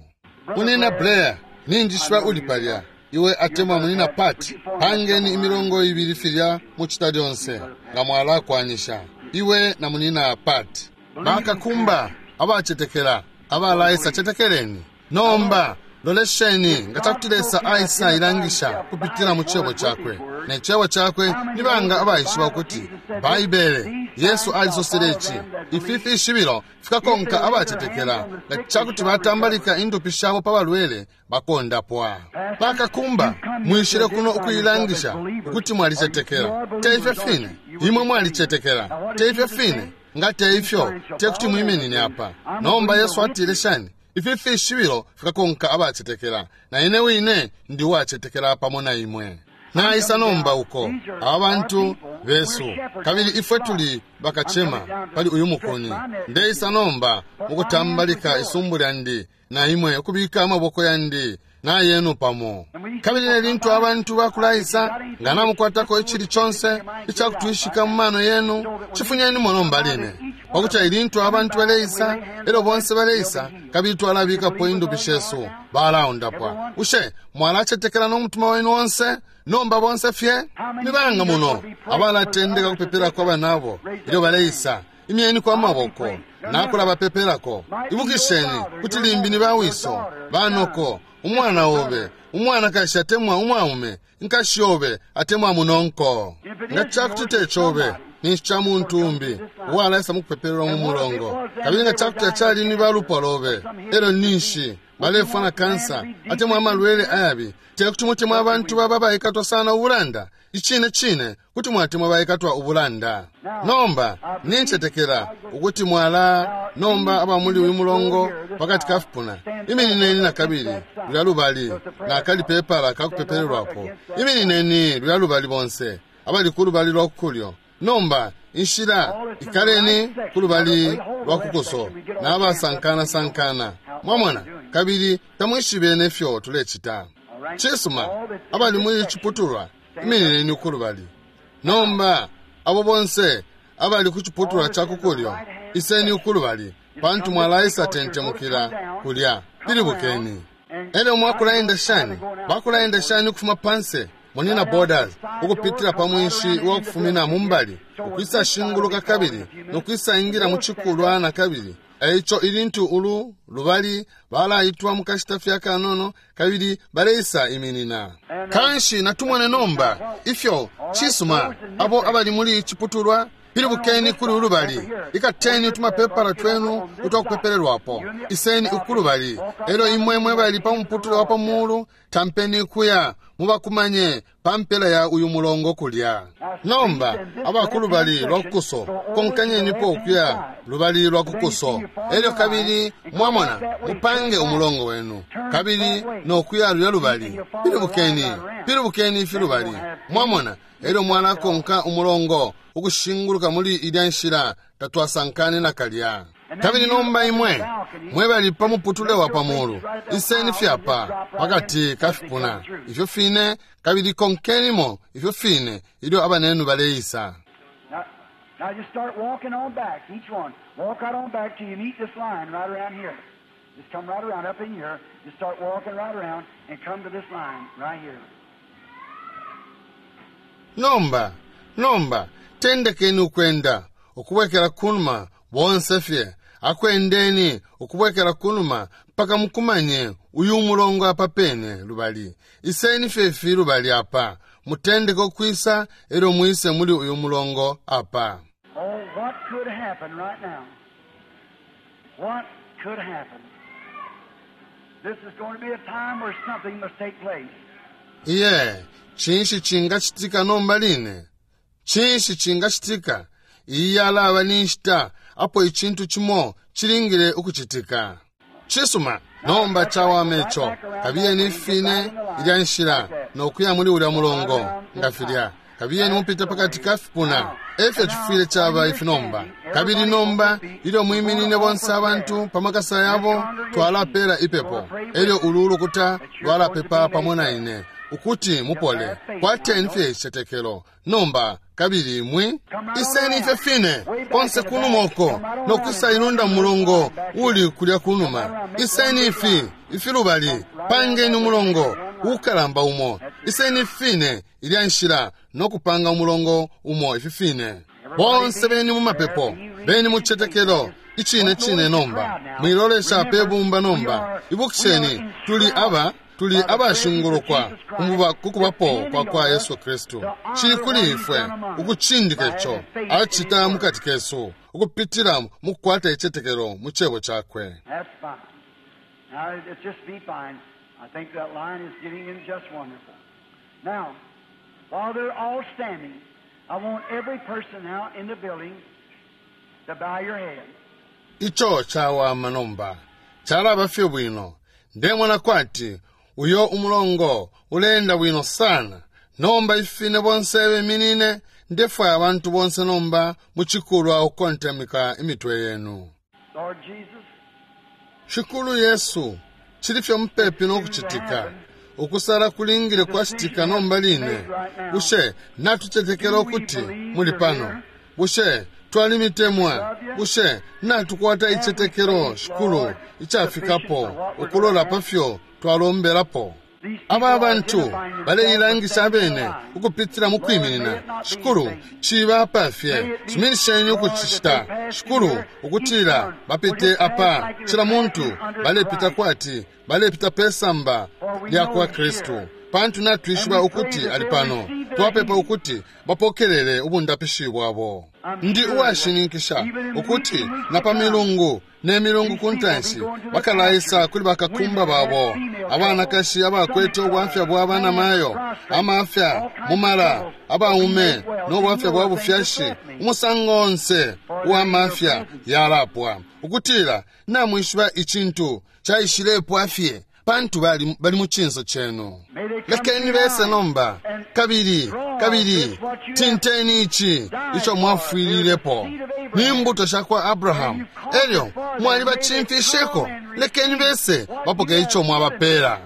Unina Blair, ninjishiba uli palya. Iwe atemwa munina Pat, pangeni imilongo ibili filya muchita lyonse nga mwalakwanisha. Iwe na munina Pat. Bakakumba abachetekela abalaisa chetekeleni. Nomba lolesheni nga chakuti Lesa aisa ilangisha kupitila mu chebo chakwe. Ne chebo chakwe nibanga abaishiba kuti Baibele Yesu alisosele ichi. Ifi fishibilo fikakonka abachetekela nga chakuti batambalika indupi shabo pa balwele bakondapwa. Bakakumba mwishile kuno ukuilangisha ukuti mwalichetekela. Te ifyo fine imwe mwalichetekela. Te ifyo fine nga te ifyo te kuti mwiminine apa. Nomba Yesu atile shani? Ifi fishibilo fikakonka abachetekela, na ine wine ndi wachetekela pamo na imwe. Naisa nomba uko abantu besu, kabili ifwe tuli bakachema pali uyu mukuni. Ndeisa nomba mukutambalika isumbu lyandi na imwe ukubika amaboko yandi na yenu pamo. Kabili nelintu abantu bakulaisa nga namukwatako ichili chonse ichakutwishika mu mano yenu, chifunyeni mono mbaline. Pakuti ilintu abantu baleisa, elo bonse baleisa, kabili twalabikapo indupi shesu balaundapwa. Ushe mwalachetekela n'omutima wenu wonse? Nomba bonse fye nibanga muno abalatendeka kupepelako abanabo ilyo baleisa. Imyeni kwa maboko nakula bapepelako. Ibukisheni kuti limbi ni bawiso banoko, umwana obe umwana kashi atemwa umwaume, nkashi obe atemwa munonko. Nga chakuti techobe ninshi cha muntu umbi uwalaisa mukupepelelwa mu mulongo. Kabili nga chakuti achali ni balupwa lobe, elo ninshi balefwa na kansa atemwa amalwele ayabi, tekuti mutemwa abantu baba baikatwa sana ubulanda. Ichine chine kuti mwatemwa baikatwa ubulanda. Nomba ninchetekela ukuti mwala nomba abamuli uyu mulongo pakati kafipuna. Iminineni na kabili lulya lubali nakali pepala kakupepelelwapo. Iminineni lulya lubali bonse abali ku lubali lwa kukulyo. Nomba inshila ikaleni ku lubali lwa kukuso n'abasankana-sankana. Mwamona, kabili tamwishibe nefyo tulechita. Chisuma abali muli chiputulwa iminineni ku lubali. Nomba abo bonse abali ku chiputulwa cha kukulyo iseni ku lubali, pantu mwalaisa tentemukila kulya. Pilibukeni. Elyo mwakulaenda shani? Bakulaenda shani ukufuma panse munina Borders ukupitila pa mwinshi wa kufumina mumbali ukwisa shinguluka kabili nokwisa ingira mu chikulwa na kabili. Eicho ilintu ulu lubali balaitwa mukashita fya kanono kabili baleisa iminina. Kanshi natumone nomba ifyo chisuma abo abali muli chiputulwa pilibukeni kuli ulubali. Ikateni utumapepala twenu utwakupepelelwapo. Iseni ukulubali. Elyo imwe mwe bali pa muputule wa pamulu tampeni kuya mubakumanye pampela ya uyu mulongo kulya. Nomba abakulubali lwa kukuso konkanyenipo ukuya lubali lwa kukuso. Elyo kabili mwamona mupange umulongo wenu kabili nokuya lulya lubali. Pilibukeni, pilibukeni ifi lubali. Mwamona elyo mwalakonka umulongo ukushinguluka muli ilya nshila tatwasankane na kalya. Kabili nomba imwe mwe bali pa muputule wa pamulu iseni fyapa pakati kafipuna ifyo fine, kabili konkenimo ifyo fine ilyo abanenu baleisa. Now just start walking on back, each one. Walk out on back till you meet this line right around here. Just come right around up in here. Just start walking right around and come to this line right here. Nomba, nomba, tendekeni ukwenda ukubwekela kunuma bonse fye. Akwendeni ukubwekela kunuma mpaka mukumanye uyu mulongo apa pene lubali. Iseni fye lubali apa. Mutendeke ukwisa elyo mwise muli uyu mulongo apa. Oh, what could happen right now? What could happen? This is going to be a time where something must take place. Iye, chinshi chingachitika nomba line? Chinshi chingachitika? Iyi yalaba ni nshita apo ichintu chimo chilingile ukuchitika. Chisuma nomba chawame icho kabiyeni fine ilya nshila nokuya muli ulya mulongo nga filya. Kabiyeni mupite pakati kafipuna efyo chifwile chaba ifi nomba. Kabili nomba ilyo mwiminine bonse abantu pamakasa yabo twalapela ipepo. Elyo ulu ulukuta lwalapepa pamo na ine ukuti mupole. Kwateni fye ichetekelo nomba kabili mwi iseni ifyo fine konse kunuma uko nokwisa ilunda mulongo uli kulya kunuma. Iseni ifi ifi lubali pangeni umulongo Uukalamba umo. Iseni fine ilya nshila no kupanga umulongo umo ifi fine. Bonse beni mu mapepo, beni mu citetekelo icine cine nomba. Mwilolesha pe bumba nomba. Ibukisheni, tuli aba tuli abashingulukwa kukubapo kwa kwa Yesu Kristu. Cili kuli ifwe ukucindika ico acita mukati kesu ukupitila mu kukwata icitetekelo mu cebo cakwe. That's fine. Now, it just be fine. I think that line is getting in just wonderful. Now, while they're all standing, I want every person now in the building to bow your head. Ico cawama nomba calaba fye bwino. Ndemona kwati uyo umulongo uleenda bwino sana. Nomba ifine bonse beminine, ndefwaya abantu bonse nomba mu cikulwa ukukontamika imitwe yenu. Lord Jesus, Shikulu Yesu, cili fye mupepi no kucitika. Ukusala kulingile kwacitika nomba line. Bushe natucetekela ukuti muli pano? Bushe twalimitemwa? Bushe natukwata icetekelo shikulu icafikapo ukulola pafyo twalombelapo? Aba bantu baleilangisha abene ukupitila mu kwiminina. Shikulu, ciba pafye, suminisheni ukucicita. Shikulu, ukutila bapite apa cila muntu balepita kwati balepita pesamba lya kwa Kristu, pantu natwishiba ukuti ali pano. Twapepa ukuti bapokelele ubundapishi bwabo. Ndi uwashininkisha ukuti na pa milungu ne milungu ku ntanshi bakalaisa kuli bakakumba babo, abanakashi abakwete ubwafya bwa banamayo, amafya mumala, abaume no bwafya bwa bufyashi, umusango onse uwa mafya yalapwa, ukutila namwishiba icintu caishilepwa fye pantu bali, bali mu cinso cenu. Lekeni bese nomba, kabili kabili tinteni ici ico mwafwililepo ni mbuto sha kwa Abrahamu, elyo mwalibacimfisheko. Lekeni bese bapoke ico mwabapela.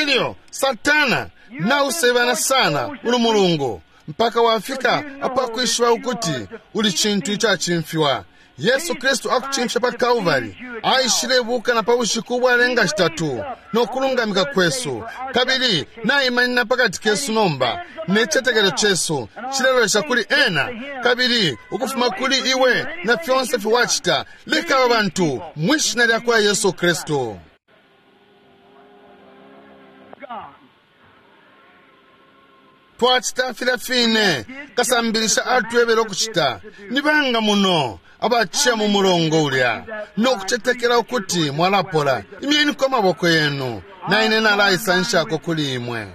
Elyo Satana nausebana sana ulu mulungu mpaka wafika apakwishiba ukuti uli cintu icacimfiwa. Yesu Kristu akucimfya pa Kalvari, aishilebuka na pa bushiku ubwalenga shitatu no kulungamika kwesu, kabili naimanina pakati kesu nomba, ne citetekelo cesu cilelolesha kuli ena, kabili ukufuma kuli iwe na fyonse fiwacita. Leka aba bantu mwishina lya kwa Yesu Kristu. God. Twacita filya fine kasambilisha atwebele ukucita. Ni banga muno abaciya mu mulongo ulya no kucetekela ukuti mwalapola. Imyeniko amaboko yenu, na ine nalaisanshako kuli imwe.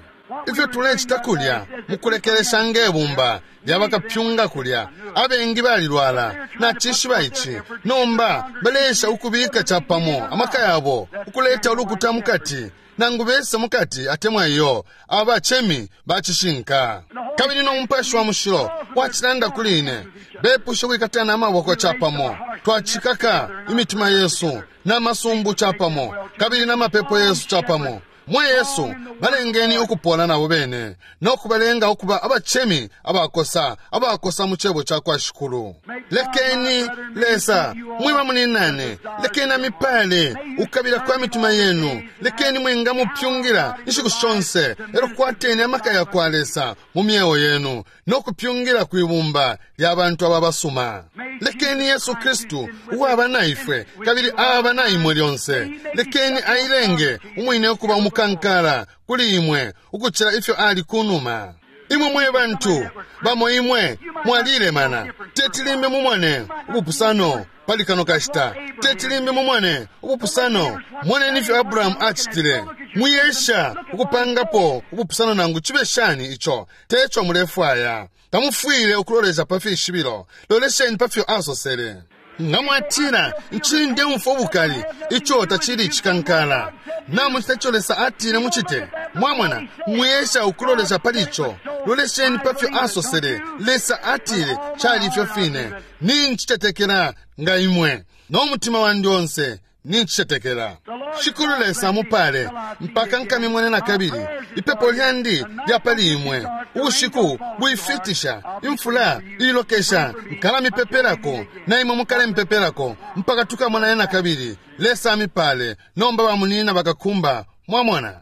Ifyo tulecita kulya mukulekelesha ngebumba lya bakapyunga kulya, abengi balilwala nacishiba ici. Nomba baleesha ukubika capamo amaka yabo ukuleta ulukuta mukati, nangu bese mukati atemwa iyo abacemi bacishinka. Kabili no Mupashi wa Mushilo wacilanda kuli ine, bepusha ukwikatana amaboko capamo. Twacikaka imitima yesu n'amasumbu capamo, kabili n'amapepo yesu capamo. Mwe Yesu, balengeni ukupola nabo bene no kubalenga ukuba abacemi abakosa, abakosa mu cebo ca kwa Shikulu. Lekeni Lesa mwiba muninane, lekeni amipale ukukabila kwa mitima yenu, lekeni mwingamupyungila inshiku shonse, elo kwateni amaka ya kwa Lesa mu myeo yenu no kupyungila kwibumba lya bantu aba basuma. Lekeni Yesu Kristu uwaba na ifwe kabili aba na imwe lyonse, lekeni ailenge umwine ukuba umukankala kuli imwe ukucila ifyo ali kunuma. Imwe mwe bantu bamo imwe mwalilemana, tetilimbe mumone ubupusano pali kano kashita, tetilimbe mumone ubupusano. Moneni ifyo Abrahamu acitile. Mwiyesha ukupangapo ubupusano nangu cibe shani, ico teco mulefwaya. Tamufwile ukulolesha pa fishibilo, lolesheni pa fyo asosele. Nga mwatila ncili ndeumfwa ubukali, ico tacili icikankala. Namucita ico Lesa atile mucite. Mwamona, mwiyesha ukulolesha pali ico, lolesheni pa fyo asosele. Lesa atile cali ifyo fine. Nincicetekela nga imwe no mutima wandi onse, nincicetekela. Shikulu Lesa amupale mpaka nkamimwene na kabili. Ipepo lyandi lya pali imwe ubushiku bwifitisha, imfula ilokesha, nkalamipepelako na imwe mukalempepelako mpaka tukamonane na kabili. Lesa amipale. Nomba bamunina bakakumba. Mwamona.